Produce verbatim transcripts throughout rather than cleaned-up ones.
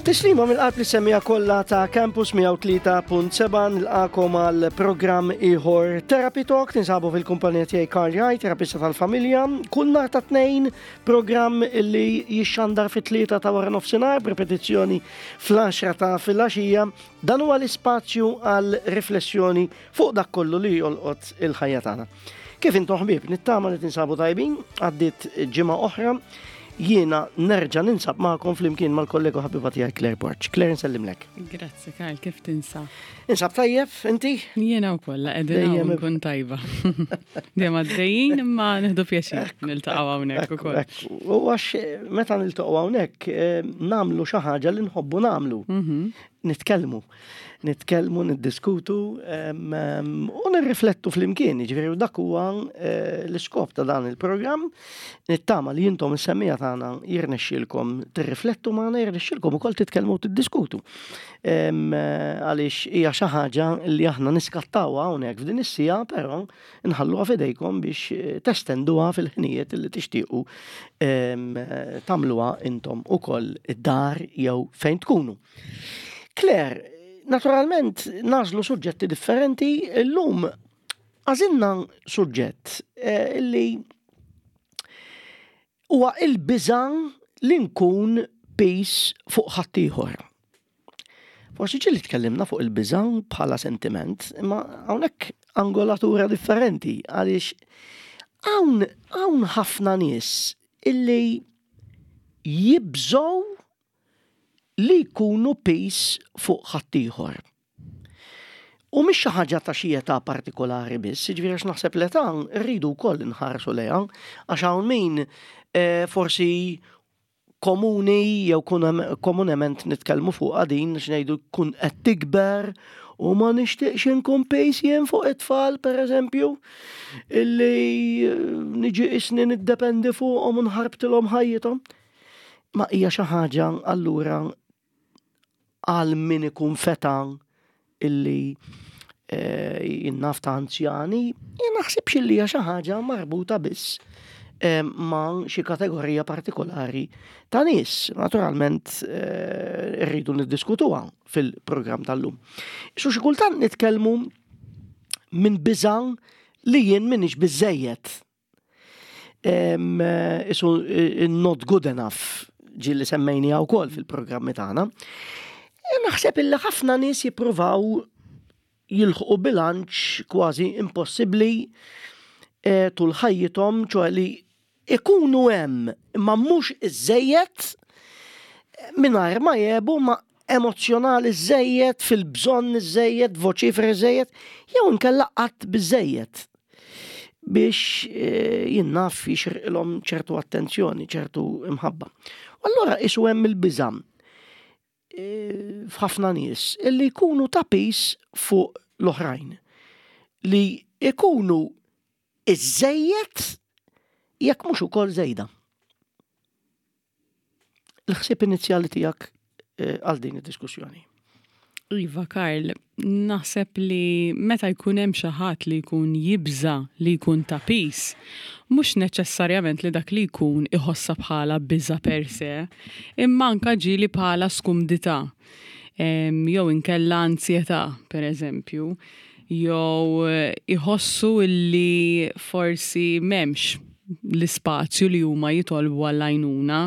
Tislima mill-qalb lis-semmiegħa kollha ta' Campus mija u tlieta punt sebgħa. Nilqagħkom għal programm ieħor, Therapy Talk. Tinsabu fil-kumpanija tiegħi, Karl Jaj, terapista tal-familja. Kull nhar ta' Tnejn, programm li jixxandar fit-tlieta ta' wara nofsinhar, b'repetizzjoni fl-għaxra ta' filgħaxija. Dan huwa l-ispazju għal riflessjoni fuq dak kollu li jolqot il-ħajja tagħna. Kif intom, ħbieb? Nittama li tinsabu tajbin. Għaddit ġimgħa oħra, jiena nerġa' ninsab magħkom flimkien mal-kollega ħabiba tiegħi Claire Borg. Claire, nsellimlek. Grazzi, Karl, kif tinsab? Insab tajjeb, inti? Jiena wkoll qegħdin hawn, nkun tajba. Dejjem għaddejjin, imma nieħdu pjaċir niltaqgħu hawnhekk ukoll. U għax meta niltaqgħu hawnhekk eh, nagħmlu xi ħaġa li nħobbu nagħmlu. Mhm. Nitkellmu. Nitkellmu, niddiskutu u nirriflettu flimkien. Ġifieri dak huwa eh, l-iskop ta' dan il-programm. Nittama li intom, is-semmiegħa tagħna, jirnexxielkom tirriflettu magħna, jirnexxielkom ukoll titkellmu u tiddiskutu. Għaliex hija xi ħaġa li aħna niskattawha hawnhekk f'din is-siegħa, però nħalluha f'idejkom biex eh, testenduha fil-ħinijiet li tixtiequ tagħmluha intom ukoll id-dar jew fejn tkunu. Claire, naturalment nagħżlu suġġetti differenti, illum għażilna suġġett eh, illi huwa il-biża li nkun piż fuq ħaddieħor. Forsi ġieli tkellimna fuq il-biża bħala sentiment, imma hawnhekk angolatura differenti, għaliex hawn hawn ħafna nies illi jibżgħu li jkunu piż fuq ħaddieħor. U mhix xi ħaġa ta' xi età partikolari biss, jiġifieri għax naħseb l-età rridu wkoll inħarsu lejha, għax hawn min eh, forsi komuni jew komunement nitkellmu fuq din x'ngħidu kun qed tikber u ma nixtieqx inkun piż jien fuq it-tfal, pereżempju, illi eh, niġi isni niddependi fuqhom u nħarbtilhom ħajjithom. Ma hija xi ħaġa allura għal min ikun feta illi eh, jien naf ta' anzjani, jien naħsibx illi hija xi ħaġa marbuta biss eh, ma' xi kategorija partikolari ta' nies. Naturalment eh, rridu niddiskutuha fil-programm tal-lum. Su xi kultant nitkellmu minn biża' li jien m'iniex biżejjed. Isu not good enough, ġieli semmejnieha wkoll fil-programmi tagħna. Naħseb illi ħafna nies jippruvaw jilħqu bilanċ kważi impossibbli eh, tul ħajjithom, ċoè li ikunu hemm imma mhux iżejjed, mingħajr ma jebu ma emozjonali żejjed, fil-bżonn iżejjed, voċiferi żejjed, jew inkella qatt biżejjed biex eh, jien naf jixirqilhom ċertu attenzjoni, ċertu imħabba. U allura isu hemm il-biża' eh, f'ħafna nies illi jkunu ta' piż fuq l-oħrajn. Li ikunu iżejjed jekk mhux ukoll żejda. Il-ħsieb inizjali tiegħek eh, għal din id-diskussjoni. Iva, Karl, naħseb li meta jkun hemm xi ħadd li jkun jibża li jkun ta' piż, mhux neċessarjament li dak li jkun iħossa bħala biża per se, imma anka ġieli bħala skumdità. Em, Jew inkella ansjetà, per eżempju, jew eh, iħossu illi forsi m'hemmx l-ispazju li huma jitolbu għall-għajnuna.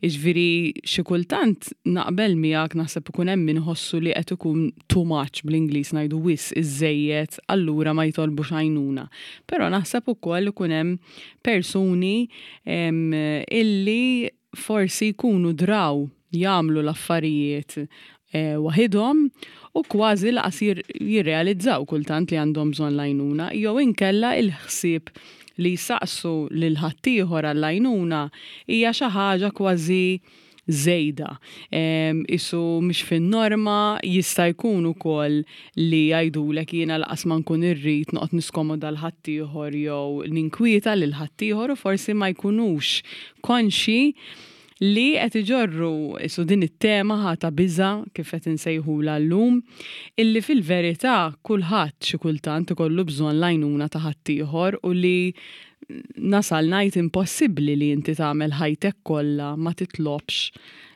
Iġviri, xi kultant naqbel miegħek, naħseb ikun hemm min iħossu li qed ikun too much, bl-Ingliż ngħidu wisq, iżejjed, allura ma jitolbux għajnuna. Però naħseb ukoll ikun hemm persuni em, illi forsi jkunu draw jagħmlu l-affarijiet eh, waħidhom u kważi lanqas jir- jirrealizzaw kultant li għandhom bżonn l-għajnuna, jew inkella il-ħsieb li jsaqsu lil ħaddieħor għall-għajnuna hija xi ħaġa kważi żejda. Em, Isu mhix fin-norma, jista' jkun ukoll li jgħidulek jiena lanqas ma nkun irrid noqgħod niskomoda lil ħaddieħor jew ninkwieta lil ħaddieħor, u forsi ma jkunux konxi li qed iġorru isu din it-tema ħa ta' biża, kif qed insejħula llum, illi fil-verità kulħadd xi kultant ikollu bżonn l-għajnuna ta' ħaddieħor u li nasal ngħid impossibbli li inti tagħmel ħajtek kollha ma titlobx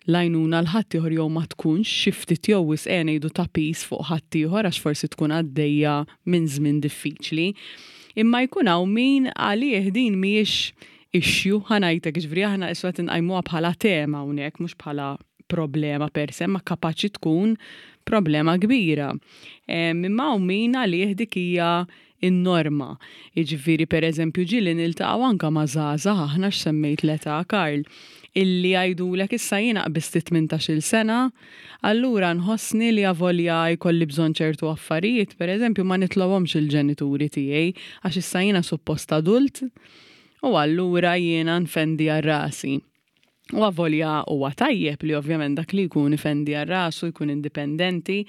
l-għajnuna lil ħaddieħor jew ma tkunx xi ftit jew wisq ngħidu ta' piż fuq ħaddieħor għax forsi tkun għaddejja minn żmien diffiċli. Imma jkun hawn min għalih din mhijiex issue, ħa ngħidlek, ġifieri aħna issa qed inqajmuha bħala tema hawnhekk, mhux bħala problema per se, ma kapaċi tkun problema kbira. Imma hawn min għalih dik hija in-norma. Jiġifieri, per eżempju, ġieli niltaqgħu anka ma' żgħażagħ aħna, x'semmejt l-età, Karl, illi jgħidulek: "Issa jiena qbiżt tmintax-il sena, allura nħossni li avolja jkolli bżonn ċertu affarijiet, per eżempju, ma nitlobhomx il-ġenituri tiegħi għax issa jiena suppost adult u allura jiena nfendi għal rasi." U avolja huwa tajjeb li ovvjament dak li jkun ifendi għal rasu, jkun indipendenti,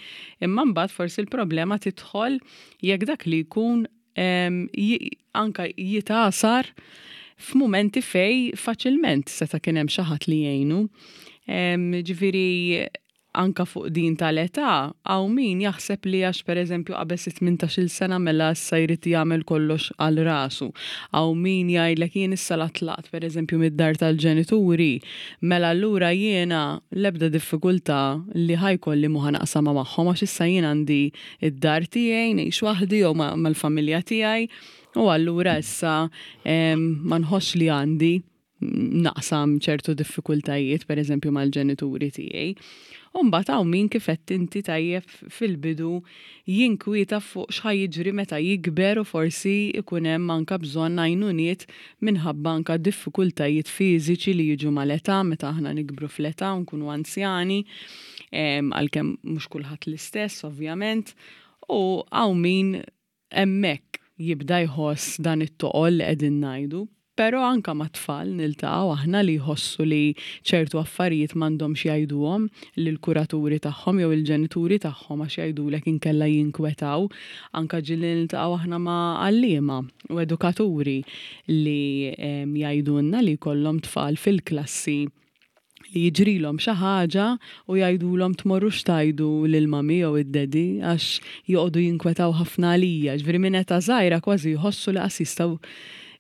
imma mbagħad forsi l-problema tidħol jekk dak li jkun anka jitgħasar f'mumenti fej faċilment seta' kien hemm xi ħadd li jgħinu. Ġifieri anka fuq din tal-età, hawn min jaħseb li għax per eżempju qabeż tmintax-il sena, mela issa jrid jagħmel kollox għal rasu. Hawn min jgħidlek: "Jien issa la tlaqt per eżempju mid-dar tal-ġenituri, mela allura jiena l-ebda diffikultà li ħa jkolli mhu ħa naqsamha magħhom għax issa jien għandi id-dar tiegħi, ngħix waħdi jew mal-familja tiegħi u allura issa ma nħossx li għandi naqsam ċertu diffikultajiet per eżempju mal-ġenituri tiegħi." U mbagħad hawn min, kif għedt inti tajjeb fil-bidu, jinkwieta fuq x'ħa jiġri meta jikber u forsi ikun hemm anka bżonn għajnuniet minħabba anka diffikultajiet fiżiċi li jiġu mal-età, meta aħna nikbru fl-età u nkunu anzjani, għalkemm mhux kulħadd l-istess ovvjament, u hawn min hemmhekk jibda jħoss dan it-toqol li qegħdin ngħidu. Però anka ma' tfal niltaqgħu aħna li jħossu li ċertu affarijiet m'għandhomx jgħiduhom lill-kuraturi tagħhom jew il-ġenituri tagħhom għax jgħidulek inkella jinkwetaw. Anka ġieli niltaqgħu aħna ma' għalliema u edukaturi li jgħidulna li jkollhom tfal fil-klassi li jiġrilhom xi ħaġa u jgħidulhom: "Tmorrux tgħidu lil-mummy jew id-daddy għax joqogħdu jinkwetaw ħafna għalija." Ġifieri minn età żgħira kważi jħossu li qas jistgħu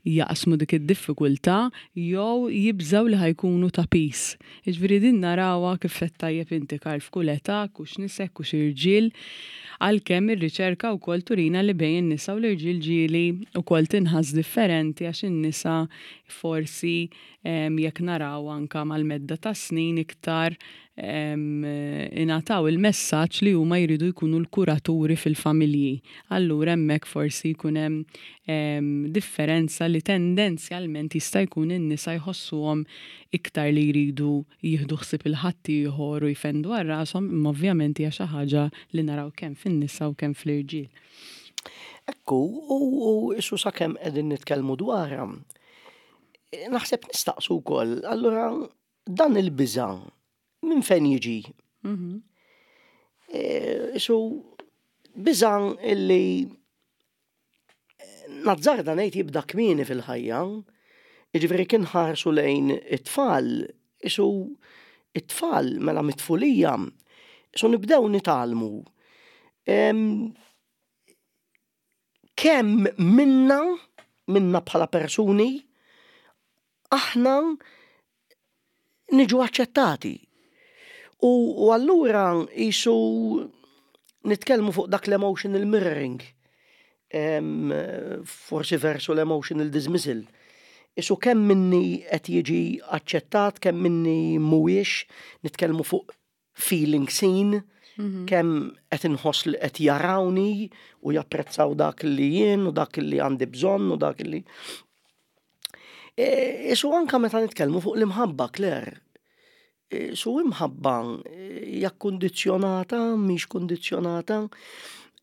jaqsmu dik id-diffikultà jew jibżaw li ħa jkunu ta' piż. Ġifieri din narawha, kif qed tajjeb inti, Karl, f'kull età, hux nisa hux irġiel, għalkemm ir-riċerka wkoll turina li bejn in-nisa u l-irġiel ġieli wkoll tinħass differenti, għax in-nisa forsi, jekk naraw anka mal-medda ta' snin, iktar ingħataw il-messaġġ li huma jridu jkunu l-kuraturi fil-familji. Allura hemmhekk forsi jkun hemm differenza li tendenzjalment jista' jkun in-nisa jħossuhom iktar li jridu jieħdu ħsieb il-ħaddieħor u jfendu għal rashom, imma ovvjament hija xi ħaġa li naraw kemm fin-nisa u kemm fl-irġiel. Ekku, u issa sakemm qegħdin nitkellmu dwarha, naħseb nistaqsu wkoll, allura dan il-biża' minn fejn jiġi? Mhm. Isu biża' illi nazzarda ngħid jibda kmieni fil-ħajja, jiġifieri kien ħarsu lejn it-tfal, isu it-tfal mela mit-tfulija, isu nibdew nitgħallmu. Kemm minna, minna bħala persuni, aħna niġu aċċettati. U, u allura isu nitkellmu fuq dak l-emotional mirroring. Em, forsi versu l-emotional dismissal. Isu kemm minni qed jiġi aċċettat, kemm minni mhuwiex, nitkellmu fuq feeling seen, Mhm. kemm qed inħoss li qed jarawni u japprezzaw dak li jien u dak li għandi bżonn u dak li. E, Isu anka meta nitkellmu fuq l-imħabba, Claire. E, Su imħabba hija kundizzjonata, mhix kundizzjonata,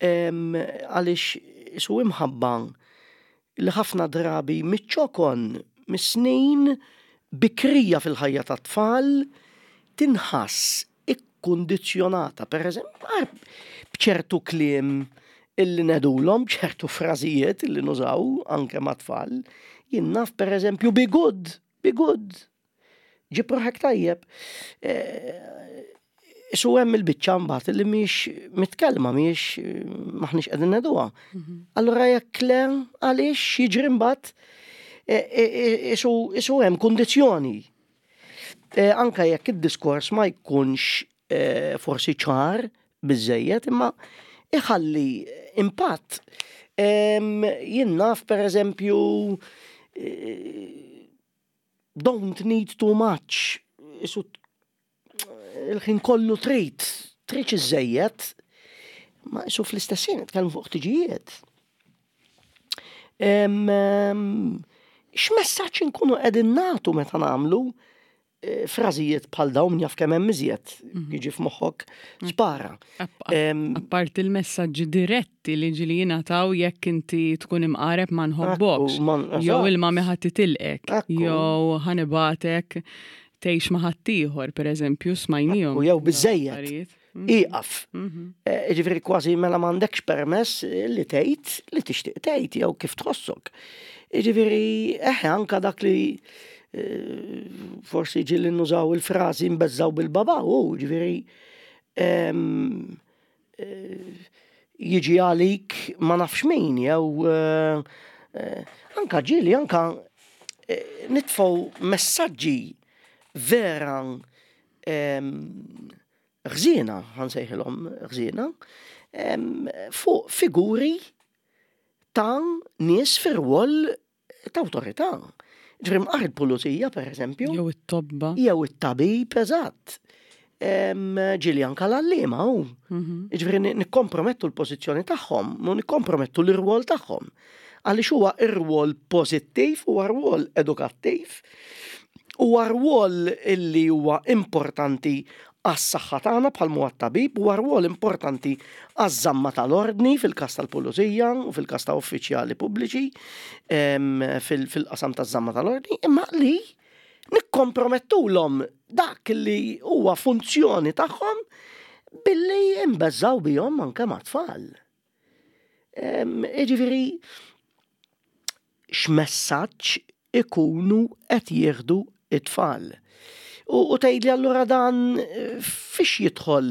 em, għaliex su imħabba li ħafna drabi miċ-ċokon, mis-snin bikrija fil-ħajja tat-tfal tinħass ikkundizzjonata, per eżempju, b'ċertu kliem illi ngħidulhom, ċertu frażijiet illi nużaw anke mat-tfal, jien naf, per eżempju, "be good, be good. Ġib ruħek tajjeb." Su hemm il-biċċa mbagħad li mhix mitkellma, mhix maħniex qegħdin ngħiduha. Allura jekk le, għaliex jiġri mbagħad isu hemm kundizzjoni. Eh, anka jekk id-diskors ma jkunx eh, forsi ċar biżejjed, imma iħalli impatt. Jien naf, per eżempju, eh, "don't need too much", isu il-ħin kollu trid, trid iżejjed, ma isu fl-istess ħin nitkellmu fuq ħtiġijiet. X'messaġġ inkunu qegħdin nagħtu meta nagħmlu eh, frażijiet bħal dawn? Jaf kemm hemm iżjed mhm. jiġi f'moħħok, spara. Apart il-messaġġi diretti li ġieli jingħataw, jekk inti tkun imqareb ma nħobbokx, jew il-mami ħa titilqek, jew ħa nibagħtek tgħix ma' ħaddieħor, per eżempju, smajnihom. Jew biżejjed. Mhm. Iqaf. Mhm. Eh, ġifieri kważi mela m'għandekx permess li tgħid li tixtieq tgħid jew kif tħossok. Ġifieri eħe, anka dak li eh, forsi ġieli nużaw il-frażi "nbeżżaw bil-baba", u ġifieri eh, jiġi għalik ma nafx min, jew anka ġieli anka nitfgħu messaġġi vera ħżiena, ħa nsejħilhom ħżiena, fuq figuri ta' nies fir-rwol ta' awtorità. Ġifieri mqar il-pulizija, per eżempju. Jew it-tobba. Jew it-tabib, eżatt. Ġieli anka l-għalliema u. Mhm. Ġifieri nikkompromettu l-pożizzjoni tagħhom, u nikkompromettu l-irwol tagħhom. Għaliex huwa ir-rwol pożittiv, huwa rwol edukattiv, huwa rwol illi huwa importanti għas-saħħa tagħna bħal huwa tabib, huwa rwol importanti għaż-żamma tal-ordni fil-każ tal-pulizija u fil-każ ta' uffiċjali pubbliċi fil-qasam taż-żamma tal-ordni, imma li nikkompromettulhom dak li huwa funzjoni tagħhom billi nbeżżaw bihom anke mat-tfal. Ġifieri, x'messaġġ ikunu qed jieħdu it-tfal? U tgħidli, allura dan eh, fiex jidħol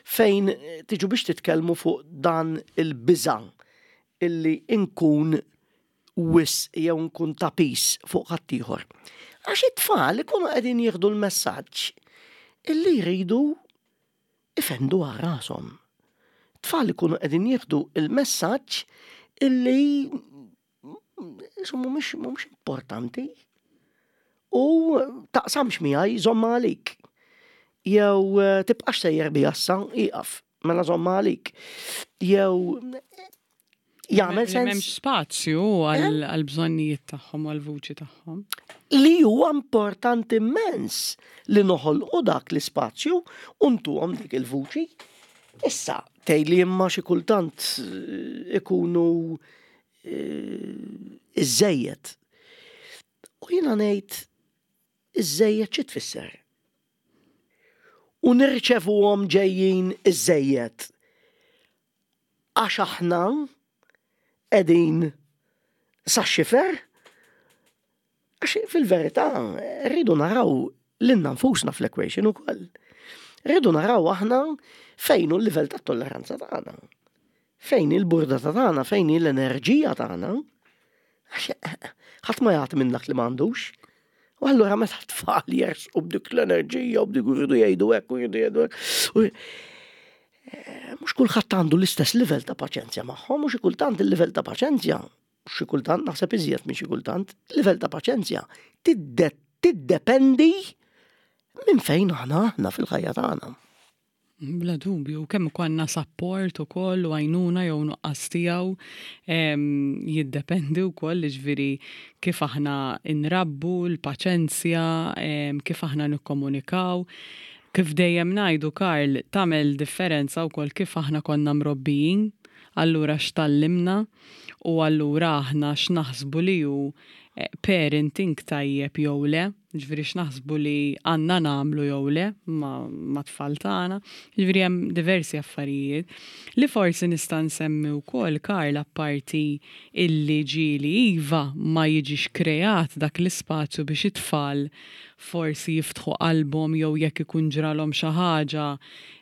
fejn tiġu biex titkellmu fuq dan il-biża illi inkun wisq jew nkun ta' piż fuq ħaddieħor? Għax it-tfal ikunu qegħdin jieħdu l-messaġġ illi jridu ifendu għal rashom. Tfal ikunu qegħdin jieħdu il-messaġġ illi mhumiex mhumiex importanti u taqsamx miegħi, żomma għalik. Jew eh, tibqax sejjer bija issa, iqaf, mela żomma għalik. Jew jagħmel sens. M'hemmx spazju eh? għal bżonnijiet tagħhom u għal vuċi tagħhom. Li huwa importanti immens li noħolqu dak l-ispazju u ntuhom dik il-vuċi. Issa, tgħidli, imma xi kultant eh, ikunu iżejjed. U jiena ngħid, iżejjed xi tfisser? U nirċevuhom ġejjin iżejjed għax aħna qegħdin sa xifer? Għax fil-verità rridu naraw lilna nfusna fl-equation ukoll. Rridu naraw aħna fejn hu l-livell ta' tolleranza tagħna. Fejn il-burdata tagħna, fejn l-enerġija tagħna. Għax ħadd ma jagħti minn dak li m'għandux. U allura meta tfal jersqu b'dik l-enerġija u b'dik jridu jgħidu hekk u jridu jgħidu hekk. Eh, mhux kulħadd għandu l-istess livell ta' paċenzja magħhom, u xi kultant il-livell ta' paċenzja, xi kultant, naħseb iżjed minn xi kultant, livell ta' paċenzja tiddependi minn fejn aħna aħna fil-ħajja tagħna. Bla dubju, kemm konna support ukoll u għajnuna jew nuqqas tiegħu jiddependi wkoll, ġifieri kif aħna inrabbu, l-paċenzja, kif aħna nikkomunikaw. Kif dejjem ngħidu, Karl, tagħmel differenza wkoll kif aħna konna mrobbijin, allura x'tgħallimna u allura aħna x'naħsbu li hu eh, parenting tajjeb jew le, ġifieri x'naħsbu li għandna nagħmlu jew le ma' tfal tagħna. Ġifieri hemm diversi affarijiet li forsi nista' nsemmi wkoll, Karl, apparti illi ġieli iva ma jiġix kreat dak l-ispazju biex it-tfal forsi jiftħu qalbhom jew jekk ikun ġralhom xi ħaġa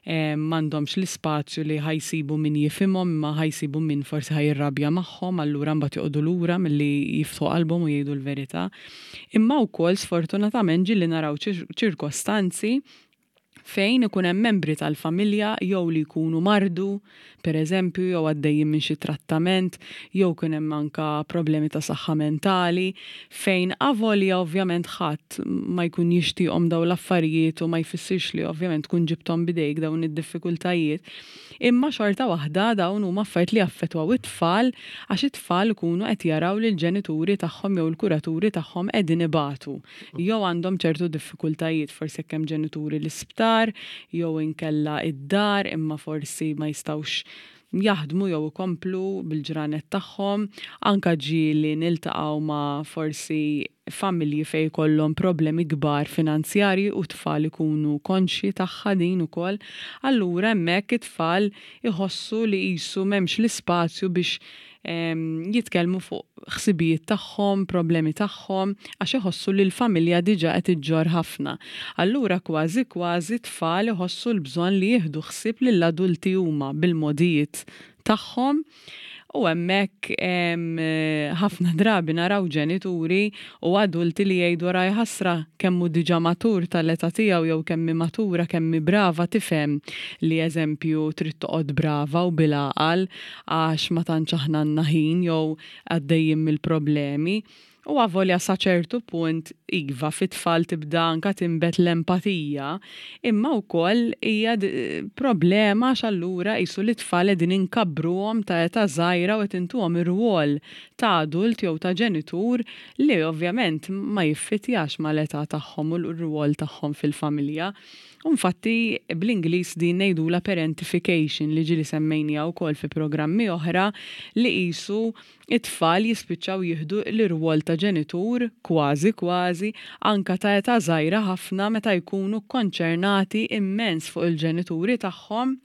m'għandhomx l-ispazju li ħa jsibu min jifhimhom, imma ħa jsibu min forsi ħa jirrabja magħhom, allura mbagħad joqogħdu lura milli jiftħu qalbhom u jgħidu l-verità. Imma wkoll sfortunatament ġieli naraw ċirkostanzi fejn ikun hemm membri tal-familja jew li jkunu mardu, per eżempju, jew għaddejjin minn xi trattament, jew kien hemm anka problemi ta' saħħa mentali, fejn avolja ovvjament ħadd ma jkun jixtieqhom dawn l-affarijiet u ma jfissirx li ovvjament tkun ġibthom bidejk dawn id-diffikultajiet. Imma xorta waħda dawn huma affarijiet li jaffettwaw it-tfal, għax it-tfal ikunu qed jaraw li l-ġenituri tagħhom jew il-kuraturi tagħhom qegħdin ibatu jew għandhom ċertu diffikultajiet, forsi jekk hemm ġenituri l-isptar jew inkella id-dar imma forsi ma jistgħux jaħdmu jew ikomplu bil-ġranet tagħhom, anka ġieli niltaqgħu ma' forsi familji fejn jkollhom problemi kbar finanzjarji u tfal ikunu konxji tagħha din ukoll. Allura hemmhekk it-tfal iħossu li qisu m'hemmx l-ispazju biex jitkellmu fuq ħsibijiet tagħhom, problemi tagħhom, għax iħossu li l-familja diġà qed iġġorr ħafna. Allura kważi kważi tfal iħossu l-bżonn li jieħdu ħsieb lill-adulti huma bil-modijiet tagħhom. U hemmhekk ħafna drabi naraw ġenituri u adulti li jgħidu raj ħasra kemm hu diġà matur tal-età tiegħu jew kemm hi matura, kemm hi brava, tifhem li eżempju trid toqgħod brava u bil-għaqal għax ma tantx aħna għandna ħin jew għaddejjin mill-problemi. U avolja sa ċertu punt iva fit-tfal tibda anka tinbet l-empatija, imma wkoll hija problema għax allura qisu li tfal qegħdin inkabbruhom ta' età żgħira u qed intuhom ir-rwol ta' adult jew ta' ġenitur li ovvjament ma jiffitjax mal-età tagħhom u l-rwol tagħhom fil-familja. U infatti bl-Ingliż din ngħidulha parentification li ġieli semmejniha wkoll fi programmi oħra, li qisu it-tfal jispiċċaw jieħdu l-irwol ta' ġenitur kważi kważi anka ta' età żgħira ħafna meta jkunu konċernati immens fuq il-ġenituri tagħhom.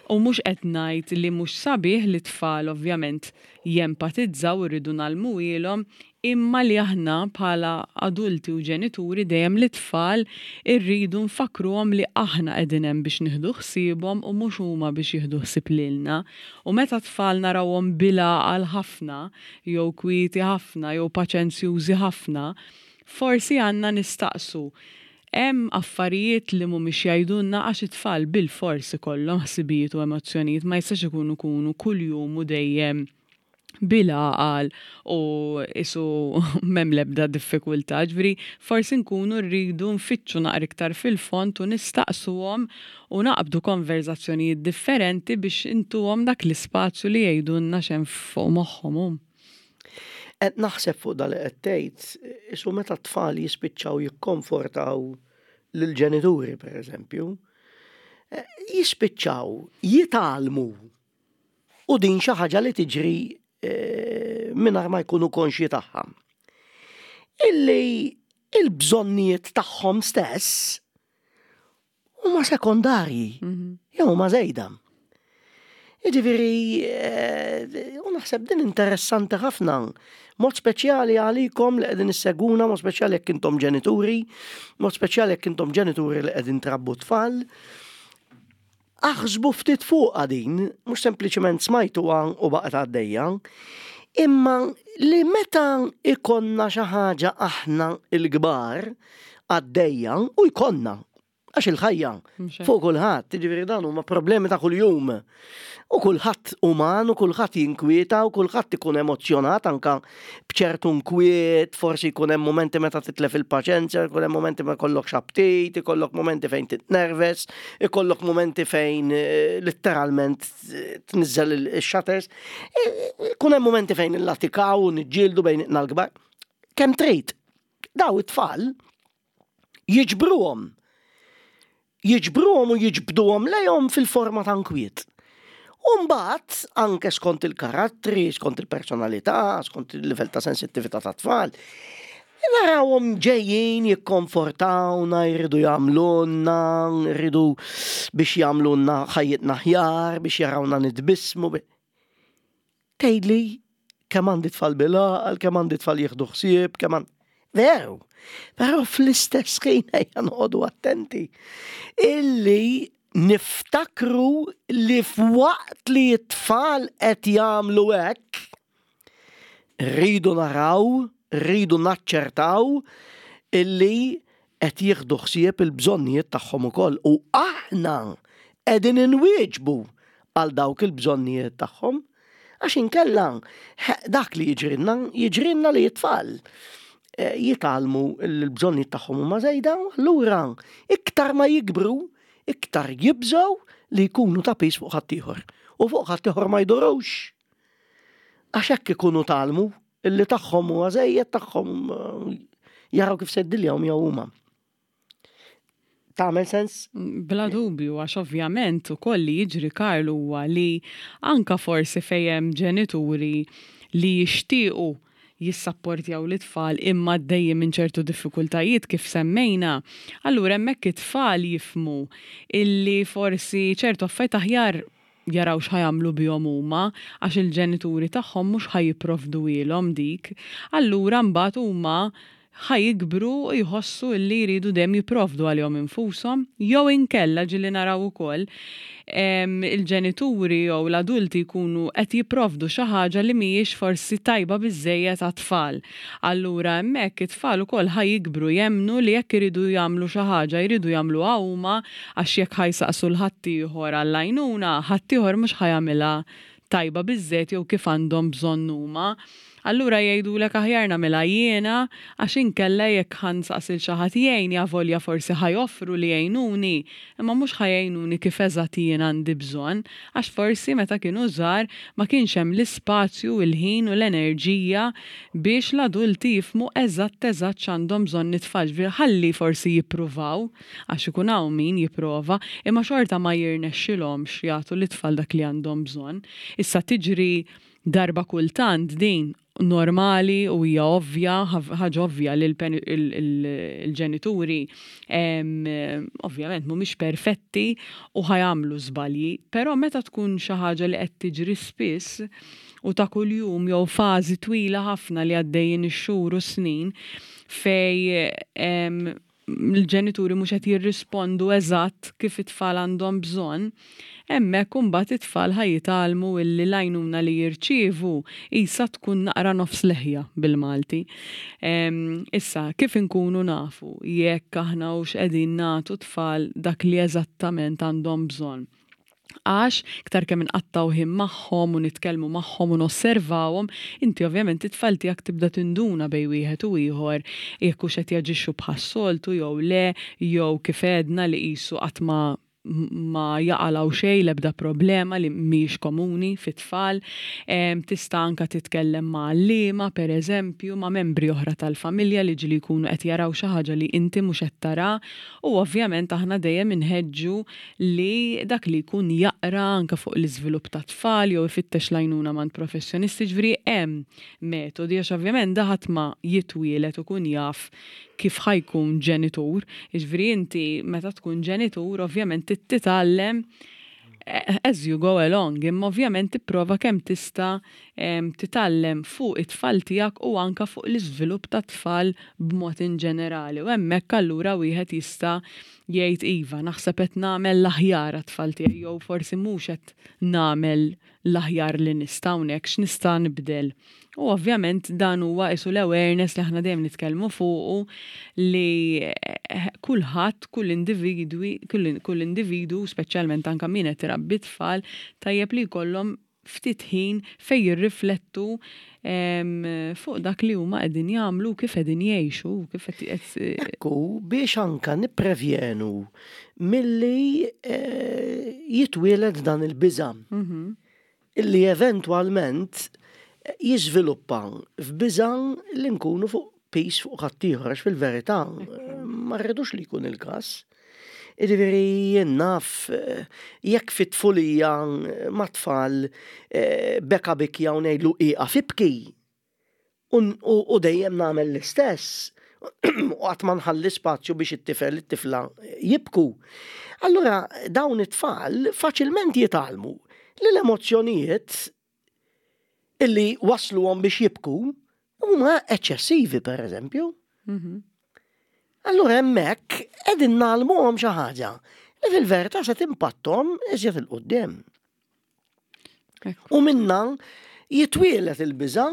U mhux qed ngħid li mhux sabiħ li tfal ovvjament jempatizzaw u rridu ngħallmuhielhom, imma li aħna bħala adulti u ġenituri dejjem li tfal irridu nfakruhom li aħna qegħdin hemm biex nieħdu ħsiebhom u mhux huma biex jieħdu ħsieb lilna. U meta tfal narawhom bil-għaqal ħafna jew kwieti ħafna jew paċenzjużi ħafna, forsi għandna nistaqsu hemm affarijiet li mhumiex jgħidulna, għax it-tfal bil-fors ikollhom ħsibijiet u emozzjonijiet, ma jistax ikunu kunu kuljum u dejjem bil-għaqal u isu m'hemm l-ebda diffikultà. Ġifieri forsi nkunu rridu nfittxu naqra iktar fil-fond u nistaqsuhom u naqbdu konverzazzjonijiet differenti biex intuhom dak l-ispazju li jgħidulna x'hemm fuq moħħhom. Qed naħseb fuq dal qed tgħid, isu meta t-tfal jispiċċaw jikkonfortaw lill-ġenituri pereżempju, jispiċċaw jitgħallmu u din xi ħaġa li tiġri mingħajr ma jkunu konxji tagħha. Illi il-bżonnijiet tagħhom stess huma sekondarji, jew huma żejda. Jiġifieri, u naħseb din interessanti ħafna, mod speċjali għalikom li qegħdin issegwuna, mod speċjali jekk intom ġenituri, mod speċjali jekk intom ġenituri li qegħdin trabbu tfal. Aħsbu ftit fuqha din, mhux sempliċement smajtuha u baqgħet għaddejja, imma li meta ikonna xi ħaġa aħna l-kbar għaddejja u jkollna, għax il-ħajja fuq kulħadd, jiġifieri dan huma problemi ta' kuljum. U kulħadd uman, u kulħadd jinkwieta, u kulħadd ikun emozzjonat anka b'ċertu nkwiet, forsi jkun hemm momenti meta titlef il-paċenzja, jkun hemm momenti ma jkollokx aptit, ikollok momenti fejn titnerves, ikollok momenti fejn letteralment tniżżel il-shutters, ikun hemm momenti fejn illatikaw u niġġieldu bejn l-kbar. Kemm trid, daw it-tfal jiġbruhom. Jiġbruhom u jiġbduhom lejhom fil-forma ta' nkwiet. U mbagħad anke skont il-karattri, skont il-personalità, skont il-livell ta' sensittività ta' tfal, narawhom ġejjin jikkonfortawna, jridu jagħmlulna, jridu biex jagħmlulna ħajjitna aħjar, biex jarawna nitbissmu. Tgħidli kemm għandi tfal bil-għaqal, kemm għandi tfal jieħdu ħsieb, kemm għandi. Veru, però fl-istess ħin ejja noqogħdu attenti illi niftakru li f'waqt li t-tfal qed jagħmlu hekk, rridu naraw Rridu naċċertaw illi qed jieħdu ħsieb il-bżonnijiet tagħhom ukoll u aħna qegħdin inwieġbu għal dawk il-bżonnijiet tagħhom. Għax inkella dak li jiġrilna, jiġrilna li t-tfal eh, jitgħallmu l-bżonnijiet tagħhom huma żejda, allura iktar ma jikbru, iktar jibżgħu li jkunu ta' piż fuq ħaddieħor. U fuq ħaddieħor ma jdurux. Għax hekk ikunu tgħallmu illi tagħhom huwa żejjed, tagħhom eh, jaraw kif se jdiljaw miegħu huma. Tagħmel sens? Bla dubju, għax ovvjament ukoll li jiġri, Karl, huwa li anka forsi fejn hemm ġenituri li jixtiequ jissapportjaw l-tfal imma għaddejjin minn ċertu diffikultajiet kif semmejna, allura hemmhekk it-tfal jifhmu illi forsi ċertu affarijiet aħjar jaraw x'ħa jagħmlu bihom huma għax il-ġenituri tagħhom mhux ħa jipprovduhielhom dik. Allura mbagħad huma ħa jikbru u jħossu illi jridu dejjem jipprovdu għalihom infushom, jew inkella ġieli naraw ukoll il-ġenituri jew l-adulti jkunu qed jipprovdu xi ħaġa li mhijiex forsi tajba biżejjed għat-tfal. Allura hemmhekk it-tfal ukoll ħa jikbru jemmnu li jekk iridu jagħmlu xi ħaġa jridu jagħmluha huma, għax jekk ħa jsaqsu 'l ħaddieħor għall-għajnuna, ħaddieħor mhux ħa jagħmilha tajba biżejjed jew kif għandhom bżonn huma. Allura jgħidulek, "Aħjar nagħmilha jiena għax inkella jekk ħa nsaqsi 'l xi ħadd jgħinni, avolja forsi ħa joffru li jgħinuni, imma mhux ħa jgħinuni kif eżatt jien għandi bżonn, għax forsi meta kienu żgħar ma kienx hemm l-ispazju, il-ħin u l-enerġija biex l-adulti jifhmu eżatt eżatt x'għandhom bżonn it-tfal." Ħalli forsi jippruvaw, għax ikun hawn min jipprova, imma xorta ma jirnexxilhomx jagħtu lit-tfal dak li għandhom bżonn. Issa, tiġri darba kultant, din normali u hija ovvja, ħaġa ovvja li l-ġenituri ovvjament mhumiex perfetti u ħa jagħmlu żbalji, però meta tkun xi ħaġa li qed tiġri spiss u ta' kuljum jew fażi twila ħafna li għaddejjin ix-xhur u snin fejn l-ġenituri mhux qed jirrispondu eżatt kif it-tfal għandhom bżonn, hemmhekk imbagħad it-tfal ħa jitgħallmu illi l-għajnuna li jirċievu isa tkun naqra nofs leħja bil-Malti. Issa, kif inkunu nafu jekk aħna hux qegħdin nagħtu tfal dak li eżattament għandhom bżonn? Għax iktar kemm inqattgħu ħin magħhom u nitkellmu magħhom u nosservawhom, inti ovvjament it-tfal tiegħek tibda tinduna bejn wieħed u ieħor jekk hux qed jaġixxu bħas-soltu jew le, jew kif għedna li qisu qatt ma ma jaqalgħu xejn, l-ebda problema, li mhijiex komuni fit-tfal. Tista' anka titkellem ma' għalliema, per eżempju, ma' membri oħra tal-familja li ġieli jkunu qed jaraw xi ħaġa li inti mhux qed tara, u ovvjament aħna dejjem inħeġġu li dak li jkun jaqra anka fuq l-iżvilupp ta' tfal jew ifittex l-għajnuna minn professjonisti, ġifieri hemm metodi, għax ovvjament da ħadd ma jitwielet u kun jaf kif ħa jkun ġenitur. Ġifieri inti meta tkun ġenitur ovvjament titgħallem eh, as you go along, imma ovvjament tipprova kemm tista' titgħallem fuq it-tfal tiegħek u anka fuq l-iżvilupp ta' tfal b'mod in ġenerali. U hemmhekk allura wieħed jista' jgħid, "Iva, naħseb qed nagħmel l-aħjar għat-tfal tiegħi jew forsi mhux qed nagħmel l-aħjar li nista' hawnhekk, x'nista' nibdel?" U ovvjament dan huwa isu l-awareness li aħna dejjem nitkellmu fuqu, li eh, kulħadd, kull individwi, kull individu, speċjalment anka min qed irabbi tfal, tajjeb li jkollhom ftit ħin fejn jirriflettu fuq dak li huma qegħdin jagħmlu, kif qegħdin jgħixu, kif qed Ekku, biex anka nipprevjenu milli eh, jitwieled dan il-biża' mhm. illi eventwalment jiżviluppa f'biża' li nkunu fuq piż fuq ħaddieħor, għax fil-verità ma rridux li jkun il-każ. Jiġifieri jien naf, jekk fit-tfulija ma' tfal eh, beka bikja u ngħidlu, "Ieqaf ibki." U dejjem nagħmel l-istess u qatt ma nħalli spazju biex it-tifel, it-tifla jibku. Allura dawn it-tfal faċilment jitgħallmu li l-emozzjonijiet illi wasluhom biex jibku huma eċċessivi, per eżempju. Mhm. Allura hemmhekk qegħdin ngħallmuhom xi ħaġa li fil-verità se timpatthom iżjed 'il quddiem. U minna Jitwielet il-biża'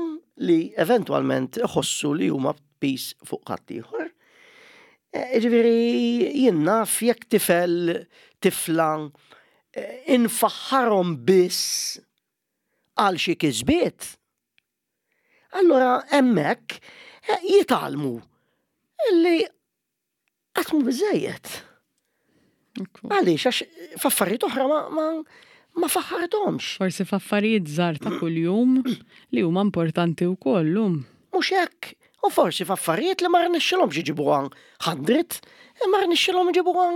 li eventwalment iħossu li huma piż fuq ħaddieħor. Ġifieri jien naf jekk tifel, tifla, infaħħarhom biss għal xi kisbiet. Allora hemmhekk jitgħallmu illi qatt mhu biżejjed. Għaliex, għax f'affarijiet oħra ma, ma, ma faħħarthomx. Forsi f'affarijiet żgħar ta' kuljum li huma importanti wkoll lum. Mhux hekk. U forsi f'affarijiet li ma rnexxilhomx iġibuha hundred, ma rnexxilhom iġibuha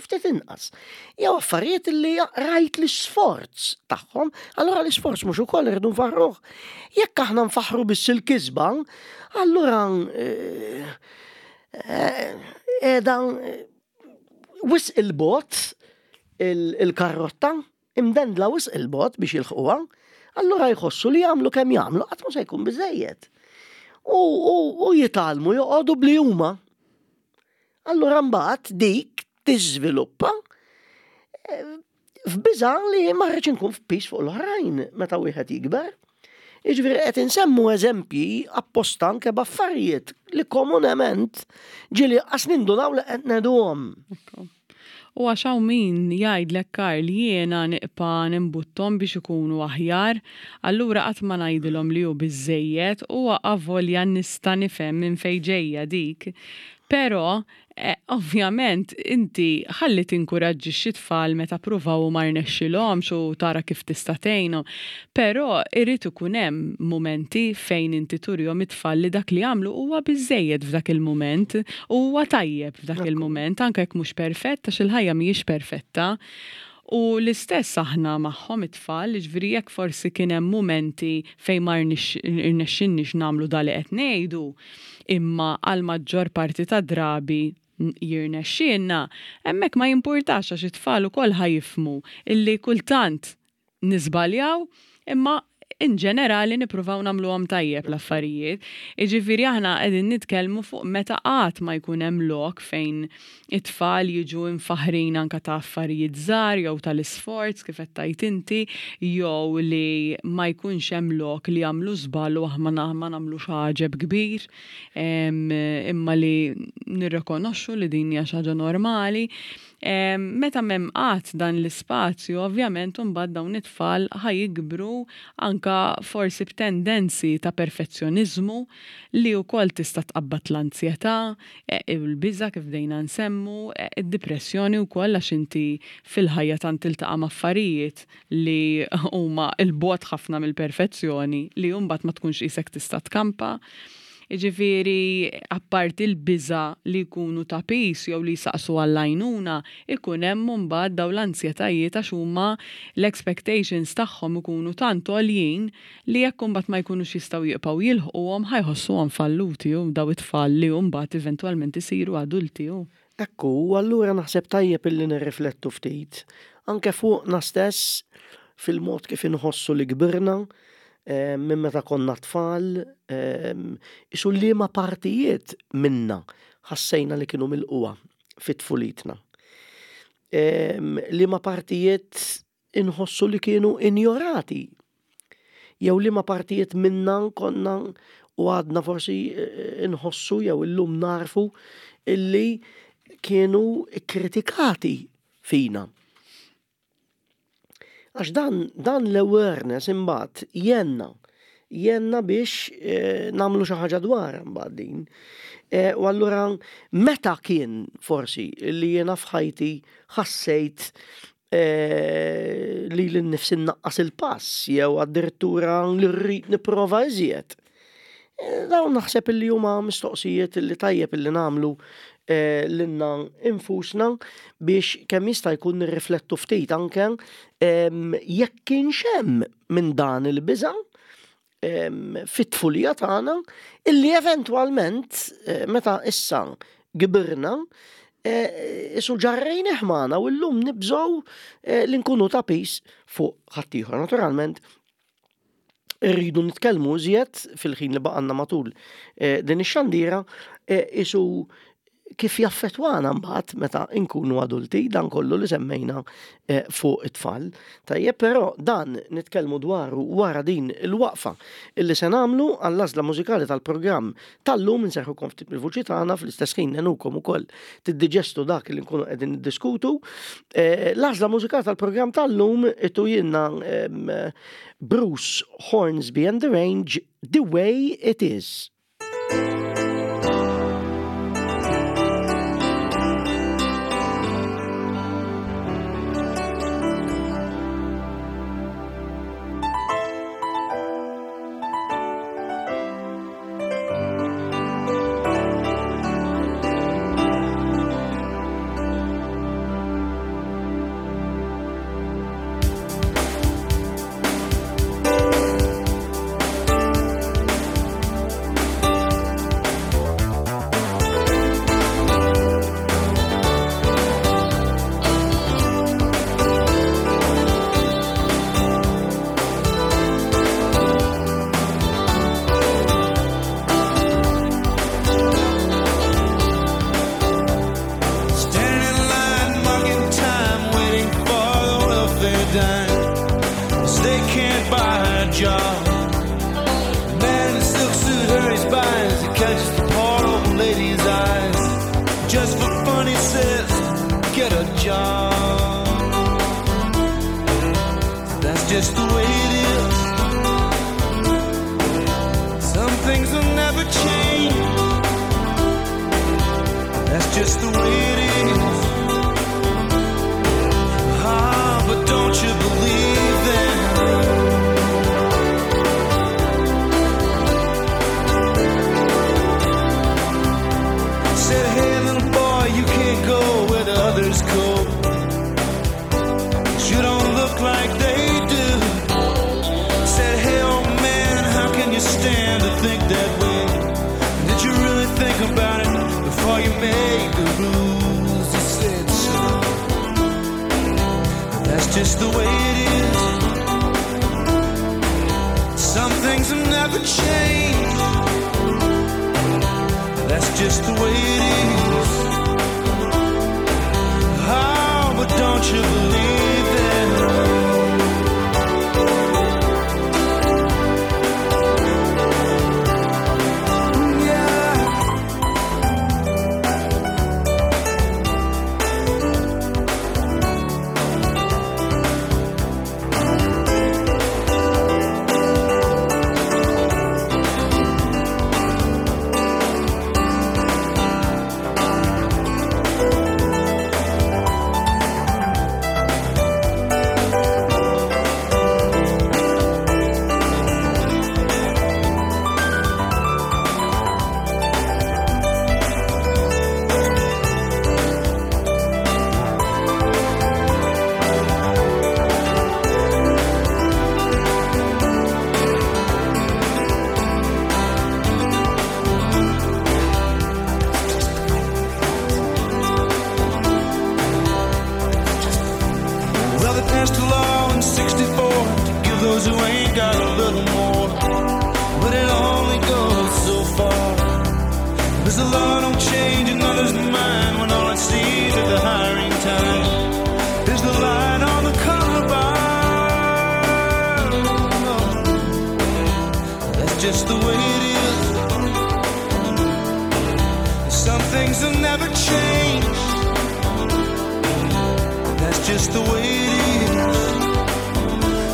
ftit inqas. Jew affarijiet li rajt l-isforz tagħhom, allura l-isforz mhux ukoll irridu nfaħruh. Jekk aħna nfaħru biss il-kisba, allura qiegħda wisq il-bogħod il-karrotta, imdendla wisq il-bogħod biex jilħquha, allura jħossu li jagħmlu kemm jagħmlu qatt ma se jkun biżejjed. U jitgħallmu joqogħdu bli huma. Allura mbagħad dik tiżviluppa f'biża' li ma rridx inkun f'piż fuq l-oħrajn meta wieħed jikber. Jiġifieri qed insemmu eżempji apposta anke b'affarijiet li komunement ġieli qas nindunaw li qed ngħiduhom. U għax hawn min jgħidlek, Karl, jiena nibqa' nimbuttom biex ikunu aħjar, allura qatt ma ngħidilhom li hu biżejjed u avolja nista' nifhem minn fejn ġejja dik. Però eh, ovvjament inti ħalli tinkuraġġixxi tfal meta pruvaw u ma rnexxilhomx u tara kif tista' tgħinhom. Però irid ikun hemm mumenti fejn inti turihom it-tfal li dak li għamlu huwa biżejjed f'dak il-mument u huwa tajjeb f'dak il-mument, anke jekk mhux perfett, għax il-ħajja mhijiex perfetta. U l-istess aħna magħhom it-tfal, ġifieri jekk forsi kien hemm mumenti fejn ma rnexxinniex nagħmlu da li qed ngħidu, imma għal maġġor parti ta' drabi jirnexxielna, hemmhekk ma jimpurtax għax it-tfal ukoll ħa jifhmu illi kultant niżbaljaw, imma in ġenerali nippruvaw nagħmluhom tajjeb l-affarijiet. Jiġifieri aħna qegħdin nitkellmu fuq meta qatt ma jkun hemm lok fejn it-tfal jiġu imfaħrin anka ta' affarijiet żgħar jew tal-isforz kif qed tgħid inti, jew li ma jkunx hemm lok li jagħmlu żball u aħna ma nagħmlux għaġeb kbir, imma li nirrikonoxxu li din hija xi ħaġa normali. Meta m'hemm qatt dan l-ispazju, ovvjament imbagħad dawn it-tfal ħa jikbru anka forsi b'tendenzi ta' perfezzjoniżmu li wkoll tista' tqabbad l-anzjetà, il-biża' kif bdejna nsemmu, id-dipressjoni wkoll għax inti fil-ħajja tant tiltaqa' ma' affarijiet li huma 'l bogħod ħafna mill-perfezzjoni li mbagħad ma tkunx qisek tista' tkampa. Jiġifieri apparti l-biża' li jkunu ta' piż jew li jsaqsu għall-għajnuna, ikun hemm imbagħad dawn l-anzjetajiet għax huma l-expectations tagħhom ikunu tant għoljin li jekk imbagħad ma jkunux jistgħu jibqgħu jilħquhom, ħa jħossuhom falluti u daw it-tfal li mbagħad eventwalment isiru adulti. Ekku, u allura naħseb tajjeb illi nirriflettu ftit anke fuqna stess fil-mod kif inħossu li kbirna minn meta konna tfal, isu liema partijiet minna ħassejna li kienu milqugħa fit-tfulitna. Liema partijiet inħossu li kienu injorati. Jew liema partijiet minna konna u għadna forsi inħossu jew illum narfu illi kienu kritikati fina. Għax dan, dan l-awareness imbagħad jgħinna, jgħinna biex eh, nagħmlu xi ħaġa dwar imbagħad din. Eh, u allura meta kien forsi li jiena f'ħajti ħassejt eh, li l-nifsi naqqas il-pass jew addirittura li rrid nipprova iżjed. Eh, dawn naħseb illi huma mistoqsijiet li tajjeb illi nagħmlu eh, lilna infusna biex kemm jista' jkun nirriflettu ftit anke jekk kienx hemm minn dan il-biża' fit-tfulija tagħna illi eventwalment eh, meta issa kbirna isu ġarrejnih magħna u llum nibżgħu li nkunu ta' piż fuq ħaddieħor. Naturalment, irridu nitkellmu iżjed fil-ħin li baqanna matul din ix-xandira isu kif jaffettwana mbagħad meta nkunu adulti dan kollu li semmejna eh, fuq it-tfal. Tajjeb, però dan nitkellmu dwaru wara din il-waqfa illi se nagħmlu għall-għażla mużikali tal-programm tal-lum. Inserrħukom ftit mill-vuċi tagħna, fl-istess ħin ngħinukom ukoll tiddiġestu dak li nkunu qegħdin niddiskutu. Eh, l-għażla mużikali tal-programm tal-lum itu jiena Bruce Hornsby and the Range, "The Way It Is". Standing in line, marking time, waiting for the welfare dime. 'Cause they can't buy a job. The man in the silk suit hurries by as he catches the poor old lady's eyes. Just for fun, he says, "Get a job." That's just the way it is. Some things will never change. That's just the way it is. Ah, but don't you believe them? Said, "Hey, little boy, you can't go where the others go. 'Cause you don't look like they do." Said, "Hey, old man, how can you stand to think that way? Did you really think about it before you made the rules?" He said, "So that's just the way it is. Some things will never change. That's just the way it is. Oh, but don't you believe them?" Yeah. Well, they passed a law in sixty-four to give those who ain't got a little more. But it only goes so far. Because the law don't change another's mind when all it sees at the hiring time is the light on the columbine. That's just the way it is. Some things will never change. That's just the way it is.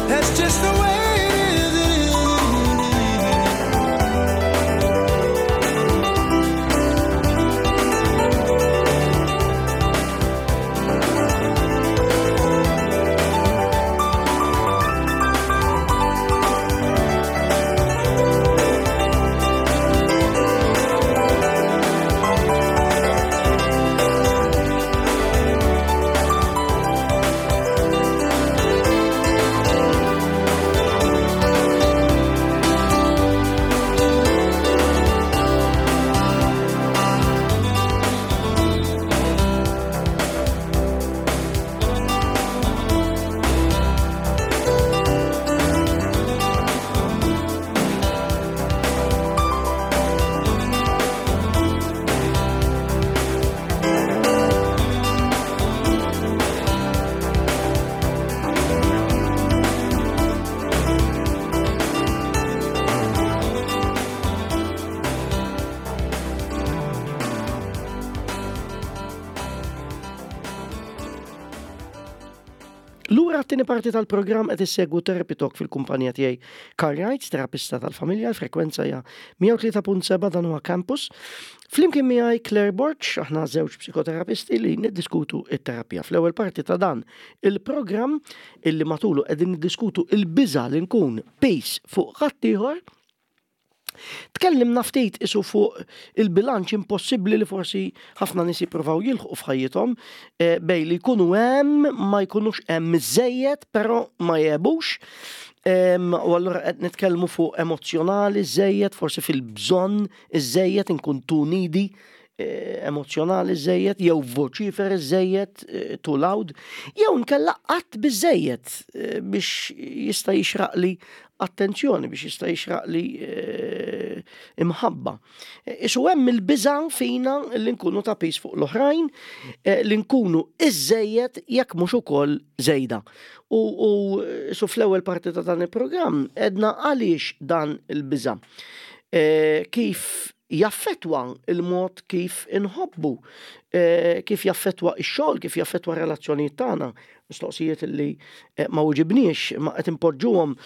That's just the way it is. It is. Għat-tieni parti tal-programm qed issegwu Therapy Talk fil-kumpanija tiegħi Karl Wright, terapista tal-familja, l-frekwenza hija mija u tlieta punt seba', dan huwa Campus. Flimkien miegħi Claire Borg, aħna żewġ psikoterapisti li niddiskutu it-terapija. Fl-ewwel parti ta' dan il-programm illi matulu qegħdin niddiskutu il-biża' li nkun piż fuq ħaddieħor, tkellimna ftit isu fuq il-bilanċ impossibbli li forsi ħafna nies jippruvaw jilħqu f'ħajjithom eh, bejn li jkunu hemm, ma jkunux hemm iżejjed, però ma jgħebux. U allura qed nitkellmu fuq emozjonali żejjed, forsi fil-bżonn iżejjed, inkun too needy, eh, emozjonali żejjed, jew voċiferi żejjed, eh, too loud, jew nkella qatt biżejjed biex jista' jixraqli attenzjoni, biex jista' jixraqli eh, imħabba. Isu hemm il-biża' fina li nkunu ta' piż fuq l-oħrajn, eh, li nkunu iżejjed jekk mhux ukoll żejda. U, u isu fl-ewwel parti ta' dan il-programm għedna għaliex dan il-biża'. Eh, kif jaffetwa il-mod kif inħobbu, kif jaffetwa ix-xogħol, kif jaffetwa relazzjonijiet tagħna, mistoqsijiet li ma weġibniex, ma qed impoġġuhom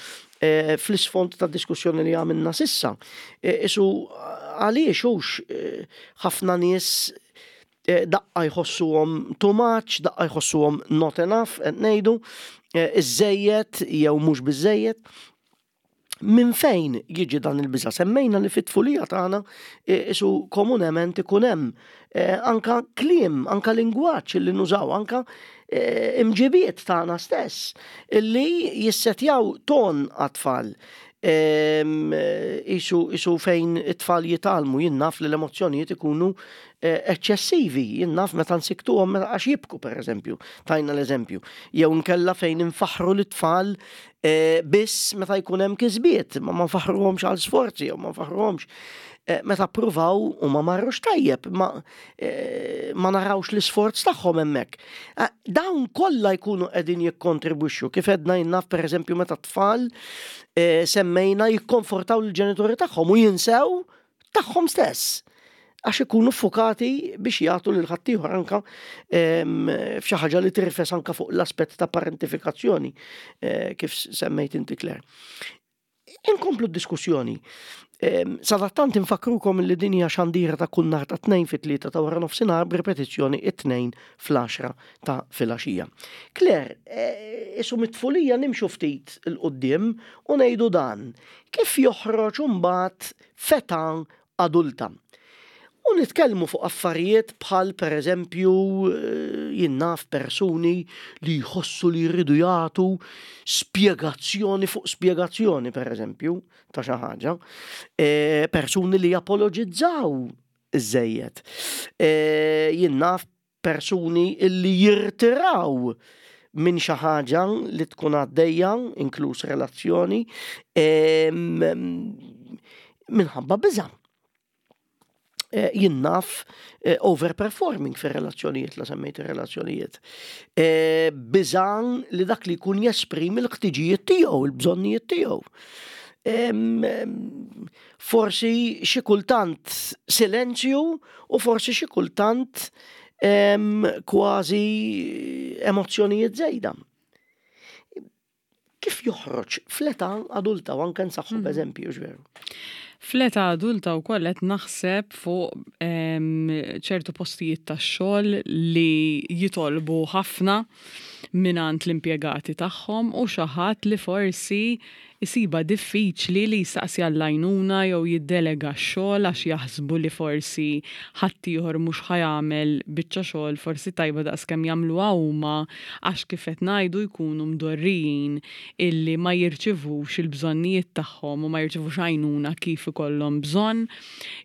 Eh, fl-isfond ta' diskussjoni li għamilna s'issa. Eh, isu għaliex hux eh, ħafna nies daqqa jħossuhom too much, daqqa jħossuhom not enough, qed ngħidu, iżejjed jew mhux biżejjed. Min fejn jiġi dan il-biża? Semmejna li fit-tfulija tagħna isu komunement ikun hemm anka kliem, anka lingwaġġ li nużaw, anka Eh, imġibiet tagħna stess illi jissetjaw ton għat-tfal. Isu, isu fejn it-tfal jitgħallmu, jien naf, li l-emozjonijiet ikunu eh, eċċessivi, jien naf, meta nsiktuhom meta għax jibku, per eżempju, tajna l-eżempju. Jew nkella fejn infaħru l-tfal eh, biss meta jkun hemm kisbiet, ma ma nfaħruhomx għal sforzi, jew ma nfaħruhomx Eh, meta pruvaw u ma marrux tajjeb, ma, eh, ma narawx l-isforz tagħhom hemmhekk. Eh, dawn kollha jkunu qegħdin jikkontribwixxu, kif għedna, jien naf, pereżempju meta tfal semmejna jikkonfortaw l-ġenituri tagħhom u jinsew tagħhom stess għax ikunu fukati biex jagħtu lil ħaddieħor, anka f'xi ħaġa li tirfes anka fuq l-aspett ta' parentifikazzjoni, kif semmejt inti, Claire. Inkomplu d-diskussjoni. Sadattant infakrukom li din hija xandira ta' kull nhar ta' Tnejn fit-tlieta ta' wara nofsinhar, b'ripetizzjoni it-Tnejn fl-għaxra ta' filgħaxija. Claire, e, isu mit-tfulija nimxu ftit 'il quddiem u ngħidu dan. Kif joħroġ imbagħad f'età adulta? U nitkellmu fuq affarijiet bħal, per eżempju, eh, jien naf, persuni li jħossu li jridu jagħtu spjegazzjoni fuq spjegazzjoni, per eżempju, ta' xi ħaġa. E, persuni li japologizzaw iżejjed. E, jien naf, persuni li jirtiraw minn xi ħaġa li tkun għaddejja, inkluż relazzjoni, e, minħabba biża'. Eh, jien naf, eh, overperforming fi relazzjonijiet, la semmejt relazzjonijiet. Eh, biża' li dak li jkun jesprimi l-ħtiġijiet tiegħu, il-bżonnijiet tiegħu. Forsi xi kultant silenzju u forsi xi kultant kważi emozzjonijiet żejda. Kif joħroġ fl-età adulta u anke nsaħħu mm. b'eżempju, veru? Fl-età adulta wkoll qed naħseb fuq ċertu postijiet tax-xogħol li jitolbu ħafna mingħand l-impjegati tagħhom u xi ħadd li forsi jsiba diffiċli li jistaqsi għall-għajnuna jew jiddelega x-xogħol għax jaħsbu li forsi ħaddieħor mhux ħa jagħmel biċċa xogħol forsi tajba daqskemm jagħmluha huma, għax, kif qed ngħidu, jkunu mdorrijin illi ma jirċivux il-bżonnijiet tagħhom u ma jirċivux għajnuna kif ikollhom bżonn,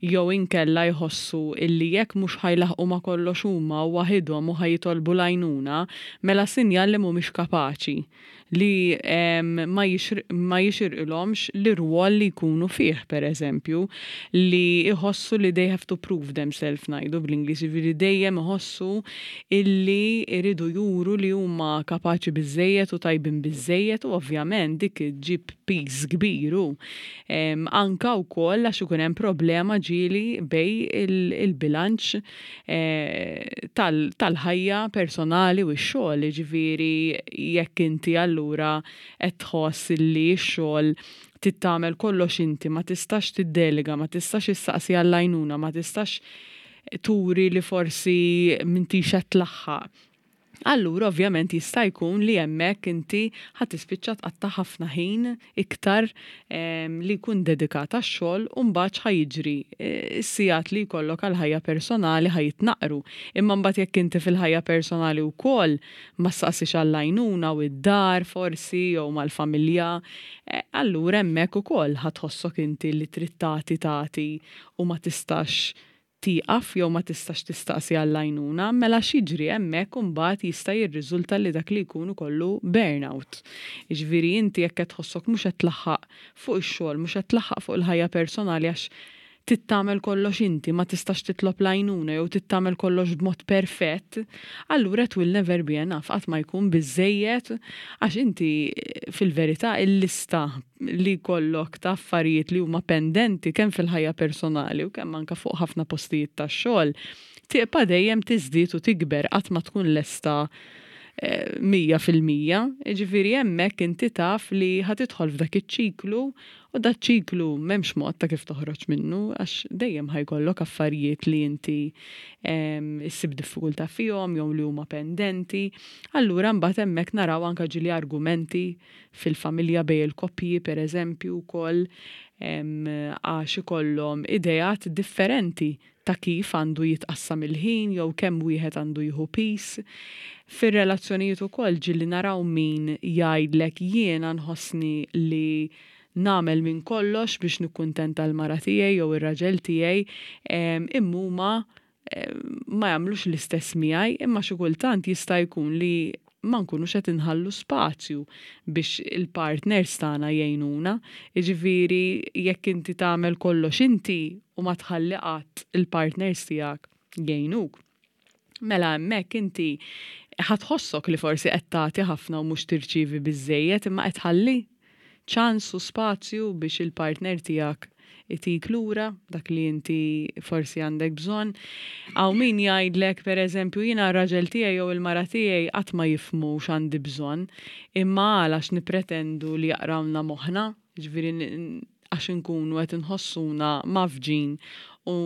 jew inkella jħossu illi jekk mhux ħa jlaħħqu ma' kollox huma u waħidhom u ħa jitolbu l-għajnuna, mela sinjal li mhumiex kapaċi, li ma jixirqilhomx l-irwol li jkunu fih, per eżempju, li jħossu li they have to prove themselves, ngħidu bl-Ingliż, jiġifieri dejjem iħossu illi jridu juru li huma kapaċi biżejjed u tajbin biżejjed, u ovvjament dik iġġib piż kbir u anka wkoll għax ikun hemm problema ġieli bejn il-bilanċ eh, tal-ħajja personali u x-xogħol, ġifieri jekk inti allura qed tħoss li x-xogħol trid tagħmel kollox inti, ma tistax tiddelega, ma tistax issaqsi għall-għajnuna, ma tistax turi li forsi m'intix qed tlaħħaq. Allura ovvjament jista' jkun li hemmhekk inti ħa tispiċċa tqatta' ħafna ħin iktar li jkun dedikat għax-xogħol u mbagħad ħa jiġri e, is-sigħat li jkollok għal ħajja personali ħa jitnaqru. Imma mbagħad jekk inti fil-ħajja personali wkoll ma ssaqsix għall-għajnuna u id-dar forsi jew mal-familja, e, allura hemmhekk ukoll ħa tħossok inti li trid tagħti tagħti u ma tistax tieqaf jew ma tistax tistaqsi għall-għajnuna, mela x'jiġri hemmhekk imbagħad jista' jirriżulta li dak li jkun ikollu burnout. Jiġifieri inti jekk qed tħossok mhux qed tlaħħaq fuq ix-xogħol, mhux qed tlaħħaq fuq il-ħajja personali għax trid tagħmel kollox inti, ma tistax titlob l-għajnuna jew trid tagħmel kollox b'mod perfett, allura it will never be enough, qatt ma jkun biżejjed għax inti fil-verità il-lista li jkollok ta' affarijiet li huma pendenti kemm fil-ħajja personali u kemm anka fuq ħafna postijiet tax-xogħol, tibqa' dejjem tiżdied u tikber qatt ma tkun lesta eh, mija fil-mija, ġifieri hemmhekk inti taf li ħa tidħol f'dak iċ-ċiklu u dak ċiklu m'hemmx mod ta' kif toħroġ minnu għax dejjem ħa jkollok affarijiet li inti issib diffikultà fihom jew li huma pendenti. Allura mbagħad hemmhekk naraw anke ġieli argumenti fil-familja bejn il-koppji pereżempju wkoll għax ikollhom ideat differenti ta' kif għandu jitqassam il-ħin jew kemm wieħed għandu jieħu piż. Fir-relazzjonijiet ukoll ġieli naraw min jgħidlek jiena nħossni li nagħmel minn kollox biex nikkuntenta l-mara tiegħi jew ir-raġel tiegħi imma huma ma jagħmlux l-istess miegħi imma xi kultant jista' jkun li ma nkunux qed inħallu spazju biex il-partners tagħna jgħinuna. Jiġifieri jekk inti tagħmel kollox inti u ma tħalli qatt il-partners tiegħek jgħinuk. Mela hemmhekk inti ħa tħossok li forsi qed tagħti ħafna u mhux tirċievi biżejjed imma qed tħalli ċans u spazju biex il-partner tiegħek itik lura dak li inti forsi għandek bżonn. Hawn min jgħidlek pereżempju jiena r-raġel tiegħi jew il-mara tiegħi qatt ma jifhmu x'għandi bżonn, imma għalax nipretendu li jaqrawna moħħna, ġifieri għax inkunu qed inħossuna mgħaffġin u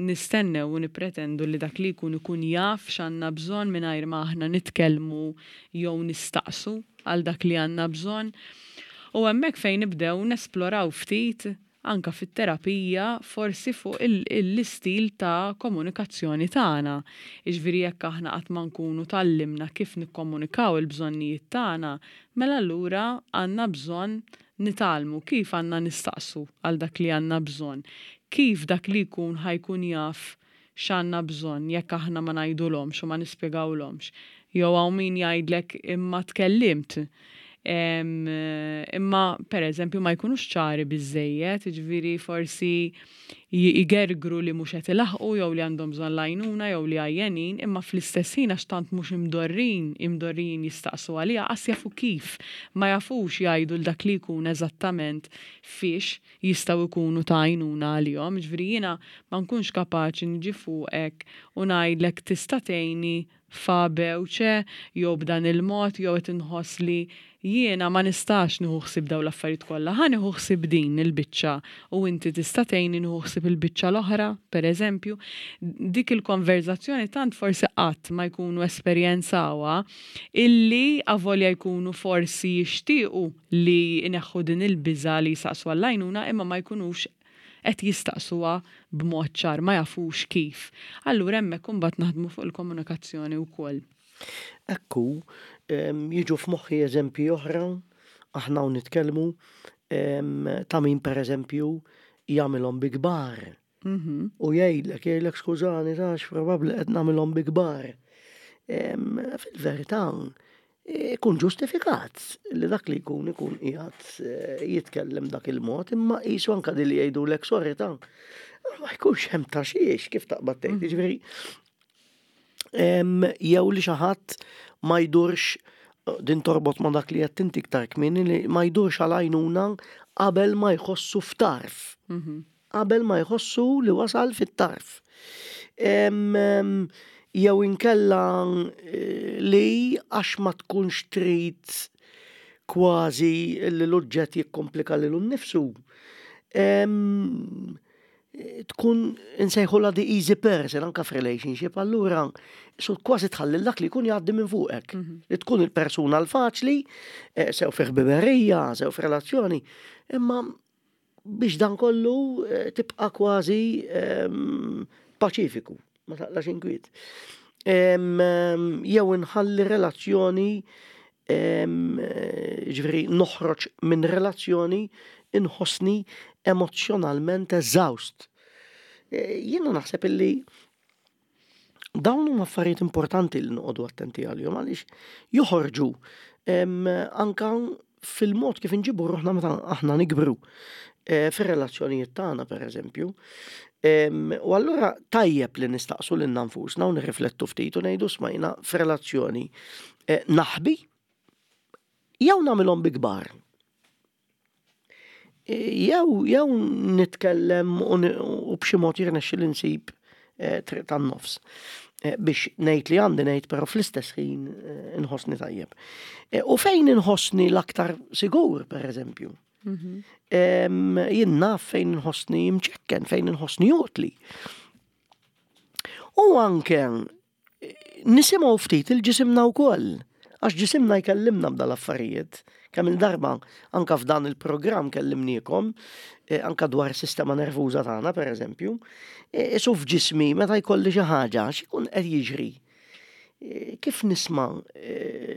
nistennew u nipretendu li dak li jkun ikun jaf x'għandna bżonn mingħajr ma aħna nitkellmu jew nistaqsu għal dak li għandna bżonn. U hemmhekk fejn nibdew nesploraw ftit anka fit-terapija forsi fuq l-istil ta' komunikazzjoni tagħna. Jiġifieri jekk aħna qatt ma nkunu tgħallimna kif nikkomunikaw il-bżonnijiet tagħna, mela allura għandna bżonn nitgħallmu kif għandna nistaqsu għal dak li għandna bżonn. Kif dak li jkun ħa jkun jaf x'għandna bżonn jekk aħna ma ngħidulhomx u ma nispjegawlhomx. Jew hawn min jgħidlek imma tkellimt. Imma per eżempju ma jkunux ċari biżejjed, ġifieri forsi jgergru li mhux qed ilaħqu jew li għandhom bżonn l-għajnuna jew li għajjenin, imma fl-istess ħin għax tant mhux imdorrin, imdorrin jistaqsu għaliha qas jafu kif, ma jafux jgħidu l dak li jkun eżattament fiex jistgħu jkunu ta' għajnuna għalihom. Ġifieri jiena ma nkunx kapaċi niġi fuqek u ngħidlek tista' tgħinni fa bewċe jew b'dan il-mod jew qed inħoss li jiena ma nistax nieħu ħsieb dawn l-affarijiet kollha, ħa nieħu ħsieb din il-biċċa u inti tista' tgħinni nieħu ħsieb il-biċċa l-oħra, pereżempju. Dik il-konverzazzjoni tant forsi qatt ma jkunu esperjenzawha illi avolja jkunu forsi jixtiequ li jneħħu din il-biża' li jsaqsu għall-għajnuna imma ma jkunux qed jistaqsuha b'mod ċar, ma jafux kif. Allura hemmhekk imbagħad naħdmu fuq il-komunikazzjoni wkoll. Ekku, jiġu f'moħħi eżempji oħra, aħna u nitkellmu ta' min pereżempju jagħmilhom bi kbar. Mhm. U jgħidlek, jgħidlek skużani, tax probabbli qed nagħmilhom bi kbar. Fil-verità, ikun ġustifikat li dak li jkun ikun qiegħed jitkellem dak il-mod, imma qisu anke din li jgħidulek sorry ta' ma jkunx hemm ta' xiex kif taqbad tgħid. Mhm. Jiġifieri jew li xi ħadd ma jdurx Din torbot ma dak li qed inti iktar kmieni li ma jdurx għal għajnuna qabel ma jħossu f'tarf. Qabel ma jħossu li wasal fit-tarf. Jew inkella eh, li għax ma tkunx trid kważi li l-oġġett jikkomplika lilu nnifsu. Tkun insejħula the easy person anka f'relationship, allura su kważi tħalli dak li jkun jgħaddi minn fuqek. Mhm. Li tkun il-persuna l-faċli, eh, sew fi ħbiberija, sew f'relazzjoni, imma biex dan kollu eh, tibqa' kważi paċifiku, ma taqlax inkwiet. Jew inħalli relazzjoni, ġifieri noħroġ minn relazzjoni inħossni emozzjonalment eżawst. E, jiena naħseb illi dawn huma affarijiet importanti li noqogħdu attenti għalihom għaliex joħorġu anka fil-mod kif inġibu ruħna meta aħna nikbru e, fir-relazzjonijiet tagħna, pereżempju. U allura tajjeb li nistaqsu lil nfusna u nirriflettu ftit u ngħidu, "Isma', f'relazzjoni e, naħbi jew nagħmilhom bi kbar? Jew jew nitkellem u b'xi mod jirnexxi li nsib eh, triq tan-nofs eh, biex ngħid li għandi ngħid, però fl-istess ħin eh, inħossni tajjeb. U fejn inħossni l-aktar sigur, per eżempju? Mhm. Jien naf fejn inħossni mċekken, fejn inħossni utli. U anke nisimgħu ftit il-ġisimna wkoll, għax ġisimna jkellimna b'dal-affarijiet. Kemm il-darba anka f'dan il-programm kellimniekom, eh, anka dwar sistema nervuża tagħna, per eżempju, eh, isu f'ġismi meta jkolli xi ħaġa, x'ikun qed jiġri? Eh, kif nisma'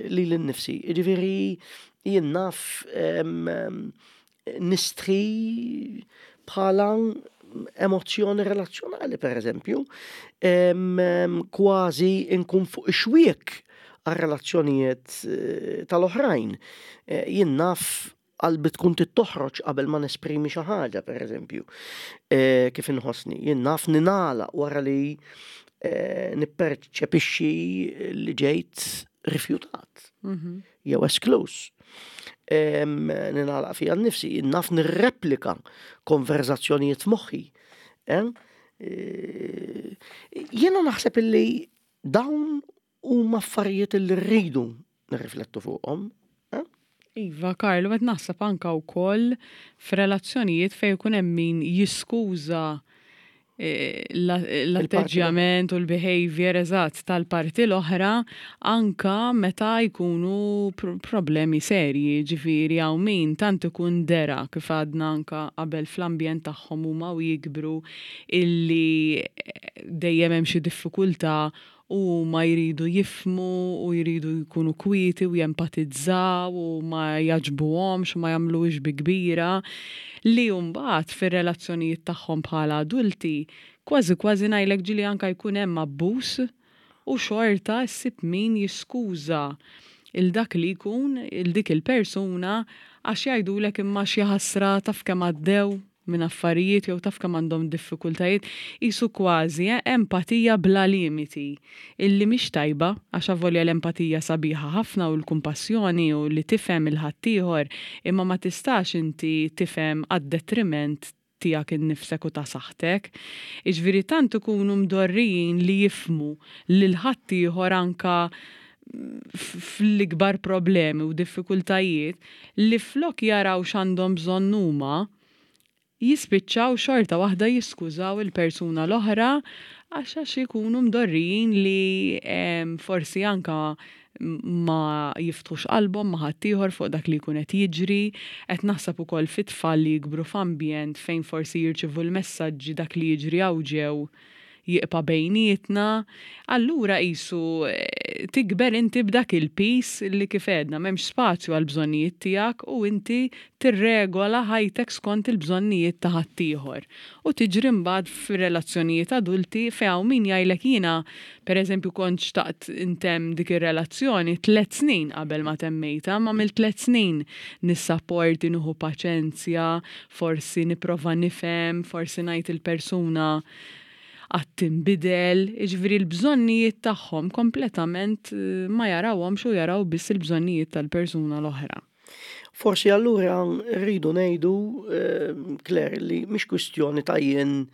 lili nnifsi? Jiġifieri jien naf nistħi bħala emozzjoni relazzjonali, per eżempju, kważi nkun fuq ix-xwiek għal-relazzjonijiet eh, tal-oħrajn. Eh, jien naf qalbi tkun toħroġ qabel ma nesprimi xi ħaġa, per eżempju, eh, kif inħossni. Jien naf ninala wara li nipperċepixxi li ġejt rifjutat mhm. jew esklus. Ninala fija nnifsi, jien naf nirreplika konverzazzjonijiet f'moħħi. Jiena naħseb illi dawn huma affarijiet li rridu nirriflettu fuqhom. Eh? Iva, Karlu, qed naħseb anka wkoll f'relazzjonijiet fejn ikun hemm min jiskuża eh, l-atteġġjament u l-behavior, eżatt, tal-parti l-oħra anka meta jkunu problemi serji. Ġifieri hawn min tant ikun dera, kif għadna anka qabel, fl-ambjent tagħhom huma u jikbru illi dejjem hemm xi diffikultà u ma jridu jifhmu u jridu jkunu kwieti u jempatizzaw u ma jogħġbuhomx u ma jagħmluhiex bi kbira, li mbagħad fir-relazzjonijiet tagħhom bħala adulti kważi kważi ngħidlek ġieli anka jkun hemm abbuż u xorta ssib min jiskuża il dak li jkun, il dik il-persuna, għax jgħidulek, "Imma xi ħasra, taf kemm għaddew minn affarijiet" jew "Taf kemm għandhom diffikultajiet." Qisu kważi eh, empatija bla limiti illi mhix tajba, għax avolja l-empatija sabiħa ħafna u l-kumpassjoni u li tifhem il-ħaddieħor, imma ma tistax inti tifhem għad-detriment tiegħek innifsek u ta' saħħtek. Iġifieri tant ikunu mdorrijin li jifhmu lil ħaddieħor anka fl-ikbar problemi u diffikultajiet li flok jaraw x'għandhom bżonn huma, jispiċċaw xorta waħda jiskużaw il-persuna l-oħra għax għax ikunu mdorrijin li em, forsi anka ma jiftħux qalbhom ma' ħaddieħor fuq dak li jkun qed jiġri. Qed naħseb ukoll fit-tfal li jikbru f'ambjent fejn forsi jirċivu l-messaġġi dak li jiġri hawn ġew jibqa' bejnietna, allura qisu eh, tikber inti b'dak il-piż li, kif għedna, m'hemmx spazju għal bżonnijiet tiegħek u inti tirregola ħajtek skont il-bżonnijiet ta' ħaddieħor. U tiġri mbagħad fir-relazzjonijiet adulti fejn hawn min jgħidlek, "Jiena, pereżempju, kont xtaqt intemm dik ir-relazzjoni tliet snin qabel ma temmejta, ma mill tliet snin nissapporti, nieħu paċenzja, forsi nipprova nifhem, forsi ngħid il-persuna Għad tinbidel, jiġifieri l-bżonnijiet tagħhom kompletament eh, ma jarawhomx u jaraw biss il-bżonnijiet tal-persuna l-oħra. Forsi allura rridu ngħidu, eh, Claire, li mhix kwistjoni ta' jien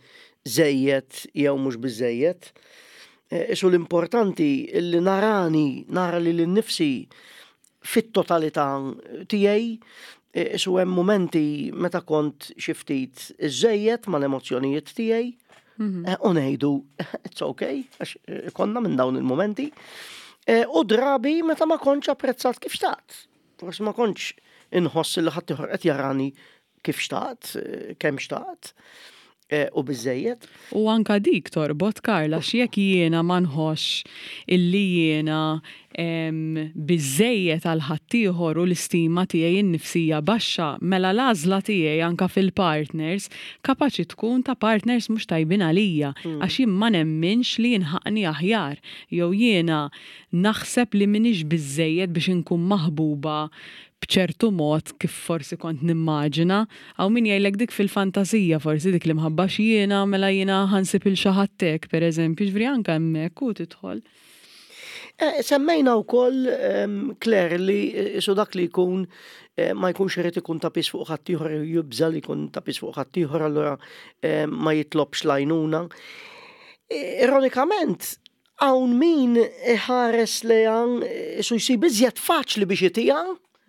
żejjed jew mhux biżejjed. Eh, Isu l-importanti li narani, nara lili nnifsi fit-totalità tiegħi, eh, isu hemm momenti meta kont xi ftit iżejjed mal-emozzjonijiet tiegħi, eh, u ngħidu it's okay, għax eh, konna minn dawn il-momenti. Eh, U drabi meta ma kontx apprezzat kif xtaqt. Forsi ma kontx inħoss li ħadd ieħor qed jarani kif xtaqt, eh, kemm xtaqt, eh, u biżejjed. U anka dik torbot, Karla, jekk jiena ma nħoss illi jiena em, biżejjed għal ħaddieħor u l-istima tiegħi innifsija baxxa, mela l-għażla tiegħi anka fil-partners kapaċi tkun ta' partners mhux tajbin għalija, għax jien ma nemminx li jinħaqni aħjar, jew jiena naħseb li m'iniex biżejjed biex inkun maħbuba b'ċertu mod kif forsi kont nimmaġina, għaw min jgħidlek dik fil-fantasija forsi dik li mħabba jiena mela jiena ħa nsib lil xi ħadd hekk, per eżempju, ġifieri anka hemmhekk u tidħol. Eh, Semmejna wkoll ehm, Claire, li eh, isu dak li jkun eh, ma jkunx irid ikun ta' piż fuq ħaddieħor, jibża li jkun ta' piż fuq ħaddieħor, allura eh, ma jitlobx l-għajnuna. Eh, Ironikament, hawn min iħares lejha isu jsib iżjed faċli biex itiha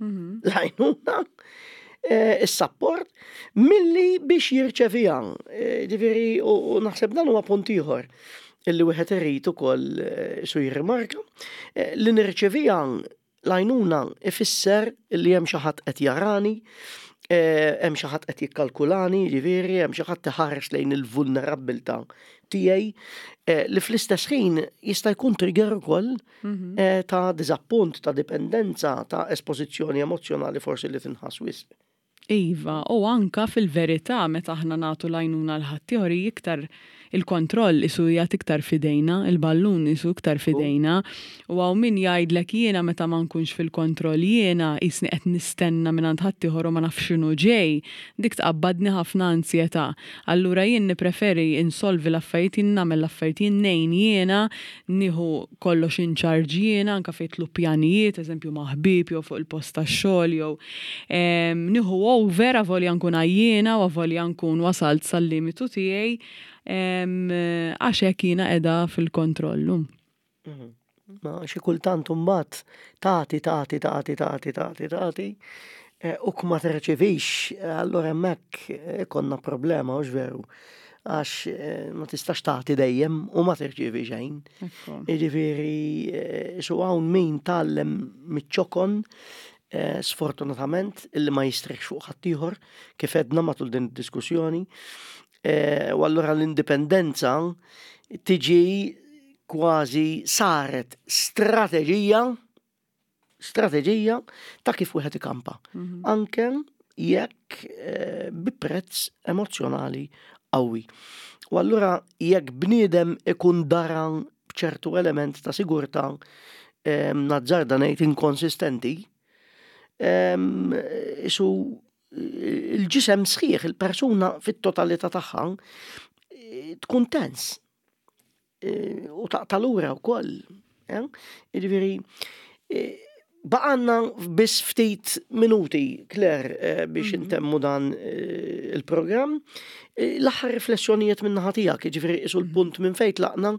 l-għajnuna, eh, is-support, milli biex jirċeviha. Eh, Ġifieri, u u naħseb dan huwa punt ieħor illi wieħed irid ukoll eh, su jirrimarka eh, li nirċeviha l-għajnuna ifisser li hemm xi ħadd qed jarani, eh, hemm xi ħadd qed jikkalkulani, ġifieri hemm xi ħadd iħares lejn il-vulnerabbiltà tiegħi eh, li fl-istess ħin jista' jkun trigger ukoll eh, ta' diżappunt, ta' dipendenza, ta' espożizzjoni emozzjonali forsi li tinħass wisq. Iva, u anka fil-verità meta aħna nagħtu l-għajnuna lil ħaddieħor iktar il-kontroll isu jgħat iktar fidejna, il-ballun isu iktar fidejna, u hawn min jgħidlek jiena meta ma nkunx fil-kontroll jiena jisni qed nistenna minn għand ħaddieħor u ma nafx x'inhu ġej, dik tqabbadni ħafna ansjetà. Allura jien nippreferi insolvi l-affarijiet, jien nagħmel l-affarijiet, jien ngħin jiena, nieħu kollox in charge jiena, anka fejn jidħlu pjanijiet, eżempju ma' ħbieb jew fuq il-post tax-xogħol jew em, nieħu over avolja nkun għajjiena u avolja nkun wasalt sal-limitu tiegħi em, għax hekk jiena qiegħda fil-kontrollu. Ma xi kultant imbagħad tagħti, tagħti, tagħti, tagħti, tagħti, tagħti, eh, u ma terċevix, eh, allura hemmhekk eh, ikollna problema, hux veru? Għax eh, ma tistax tagħti dejjem u ma terċevi xejn. Ekku. Jiġifieri, eh, su hawn min tgħallem miċ-ċokon, eh, sfortunatament, illi ma jistrieħx fuq ħaddieħor, kif għedna matul din id-diskussjoni. Eh, U allura l-indipendenza tiġi kważi saret strateġija strateġija ta' kif wieħed ikampa. Anke jekk eh, bi prezz emozzjonali qawwi. U allura jekk bniedem ikun dara b'ċertu element ta' sigurtà eh, nazzarda ngħid inkonsistenti, em, isu il-ġisem sħiħ, il-persuna fit-totalità tagħha eh, tkun tens. Eh, U taqta' lura wkoll. eh? Jiġifieri, eh, baqgħalna biss ftit minuti, Claire, eh, biex intemmu dan eh, il-programm. Eh, L-aħħar riflessjonijiet minn naħa tiegħek, jiġifieri isu l-punt minn fejn tlaqna,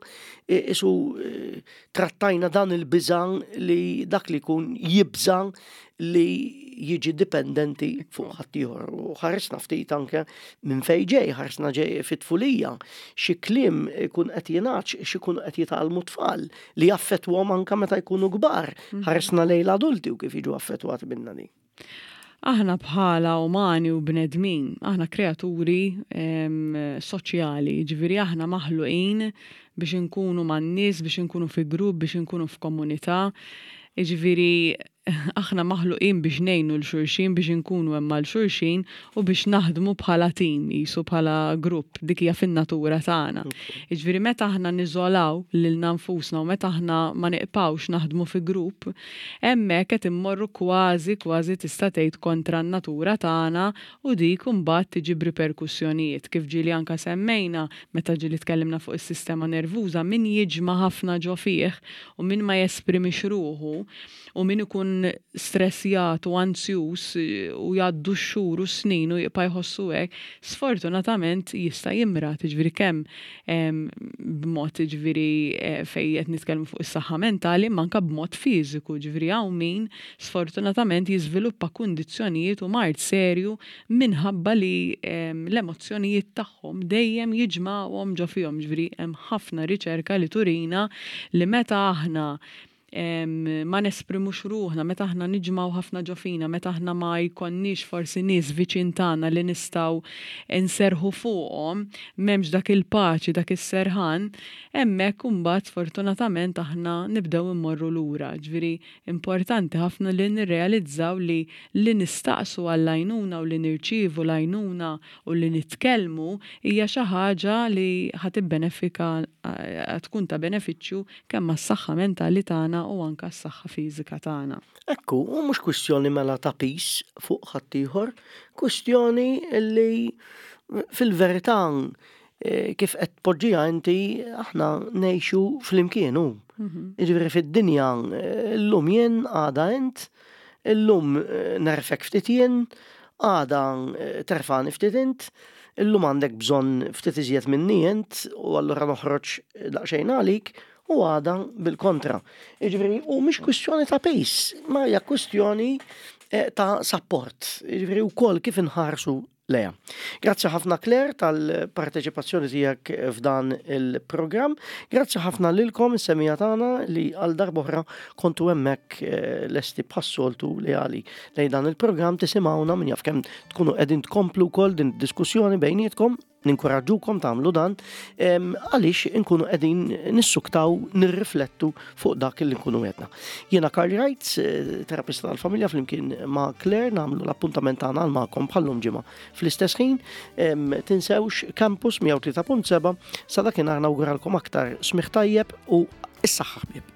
eh, isu eh, trattajna dan il-biża' li dak li jkun jibża' li jiġi dipendenti fuq ħaddieħor. U ħaresna ftit anke minn fejn ġej, ħaresna ġej fit-tfulija, xi kliem ikun qed jingħad, xi jkunu qed jitgħallmu tfal li jaffettwahom anke meta jkunu kbar. Ħaresna lejn l-adulti u kif jiġu affettwati minna di. Aħna bħala umani u bnedmin, aħna kreaturi em, soċjali, ġifieri aħna maħluqin biex inkunu man-nies, biex inkunu fi grupp, biex inkunu f'komunità. Ġifieri Aħna maħluqin biex ngħinu 'l xulxin, biex inkunu hemm għal xulxin u biex naħdmu bħala tim, jisu bħala grupp, dik hija fin-natura tagħna. Jiġifieri meta aħna niżolaw lilna nfusna u meta aħna ma nibqgħux naħdmu fi grupp, hemmhekk qed immorru kważi kważi tista' tgħid kontra n-natura tagħna u dik imbagħad tiġi b'riperkussjonijiet. Kif ġieli anka semmejna meta ġieli tkellimna fuq is-sistema nervuża, min jiġma' ħafna ġo fih u min ma jesprimix ruħu u min ikun stressjat u anzjuż u jgħaddu x-xhur u snin u jibqa' jħossu hekk, sfortunatament jista' jimrad, jiġifieri kemm b'mod, jiġifieri eh, fejn qed nitkellmu fuq is-saħħa mentali, imma anke b'mod fiżiku, jiġifieri hawn min sfortunatament jiżviluppa kundizzjonijiet u mard serju minħabba li l-emozzjonijiet tagħhom dejjem jiġmgħuhom ġo fihom. Jiġifieri hemm ħafna riċerka li turina li meta aħna ma nesprimux ruħna, meta aħna niġmgħu ħafna ġo fina, meta aħna ma jkollniex forsi nies viċin tagħna li nistgħu nserħu fuqhom, m'hemmx dak il-paċi, dak is-serħan, hemmhekk imbagħad sfortunatament aħna nibdew immorru lura. Ġifieri importanti ħafna li nirrealizzaw li li nistaqsu għall-għajnuna u li nirċievu l-għajnuna u li nitkellmu hija xi ħaġa li ħa tibbenefika, tkun ta' benefiċċju kemm għas-saħħa mentali tagħna u anka s-saħħa fiżika tagħna. Ekku, u mhux kwistjoni mela ta' piż fuq ħaddieħor, kwistjoni li fil-verità eh, kif qed poġġija inti, aħna ngħixu flimkien hu. Mhm. Jiġifieri fid-dinja eh, llum jien, għada int, illum eh, nerfgħek ftit jien, għada terfagħni ftit int, illum għandek bżonn ftit iżjed minni int u allura noħroġ daqsxejn għalik u għada bil-kontra. Jiġifieri, u mhix kwistjoni ta' piż, ma hija kwistjoni eh, ta' support. Jiġifieri wkoll kif inħarsu lejha. Grazzi ħafna, Claire, tal-parteċipazzjoni tiegħek f'dan il-programm. Grazzi ħafna lilkom is-semmiegħa tagħna li għal darb'oħra kontu hemmhekk eh, lesti bħas-soltu leali lejn dan il-programm tisimgħuna. Min jaf kemm tkunu qegħdin tkomplu wkoll din diskussjoni bejnietkom, ninkoraġġukom tagħmlu dan għaliex inkunu qegħdin nissuktaw nirriflettu fuq dak li nkunu għedna. Jiena Karl Wright, eh, terapista tal-familja, flimkien ma' Claire nagħmlu l-appuntament tagħna għal magħkom bħallum ġimgħa fl-istess ħin. Tinsewx Campus mija u tlieta punt seba'. Sa dakinhar nawguralkom aktar smigħ tajjeb u s-saħħa, ħbieb.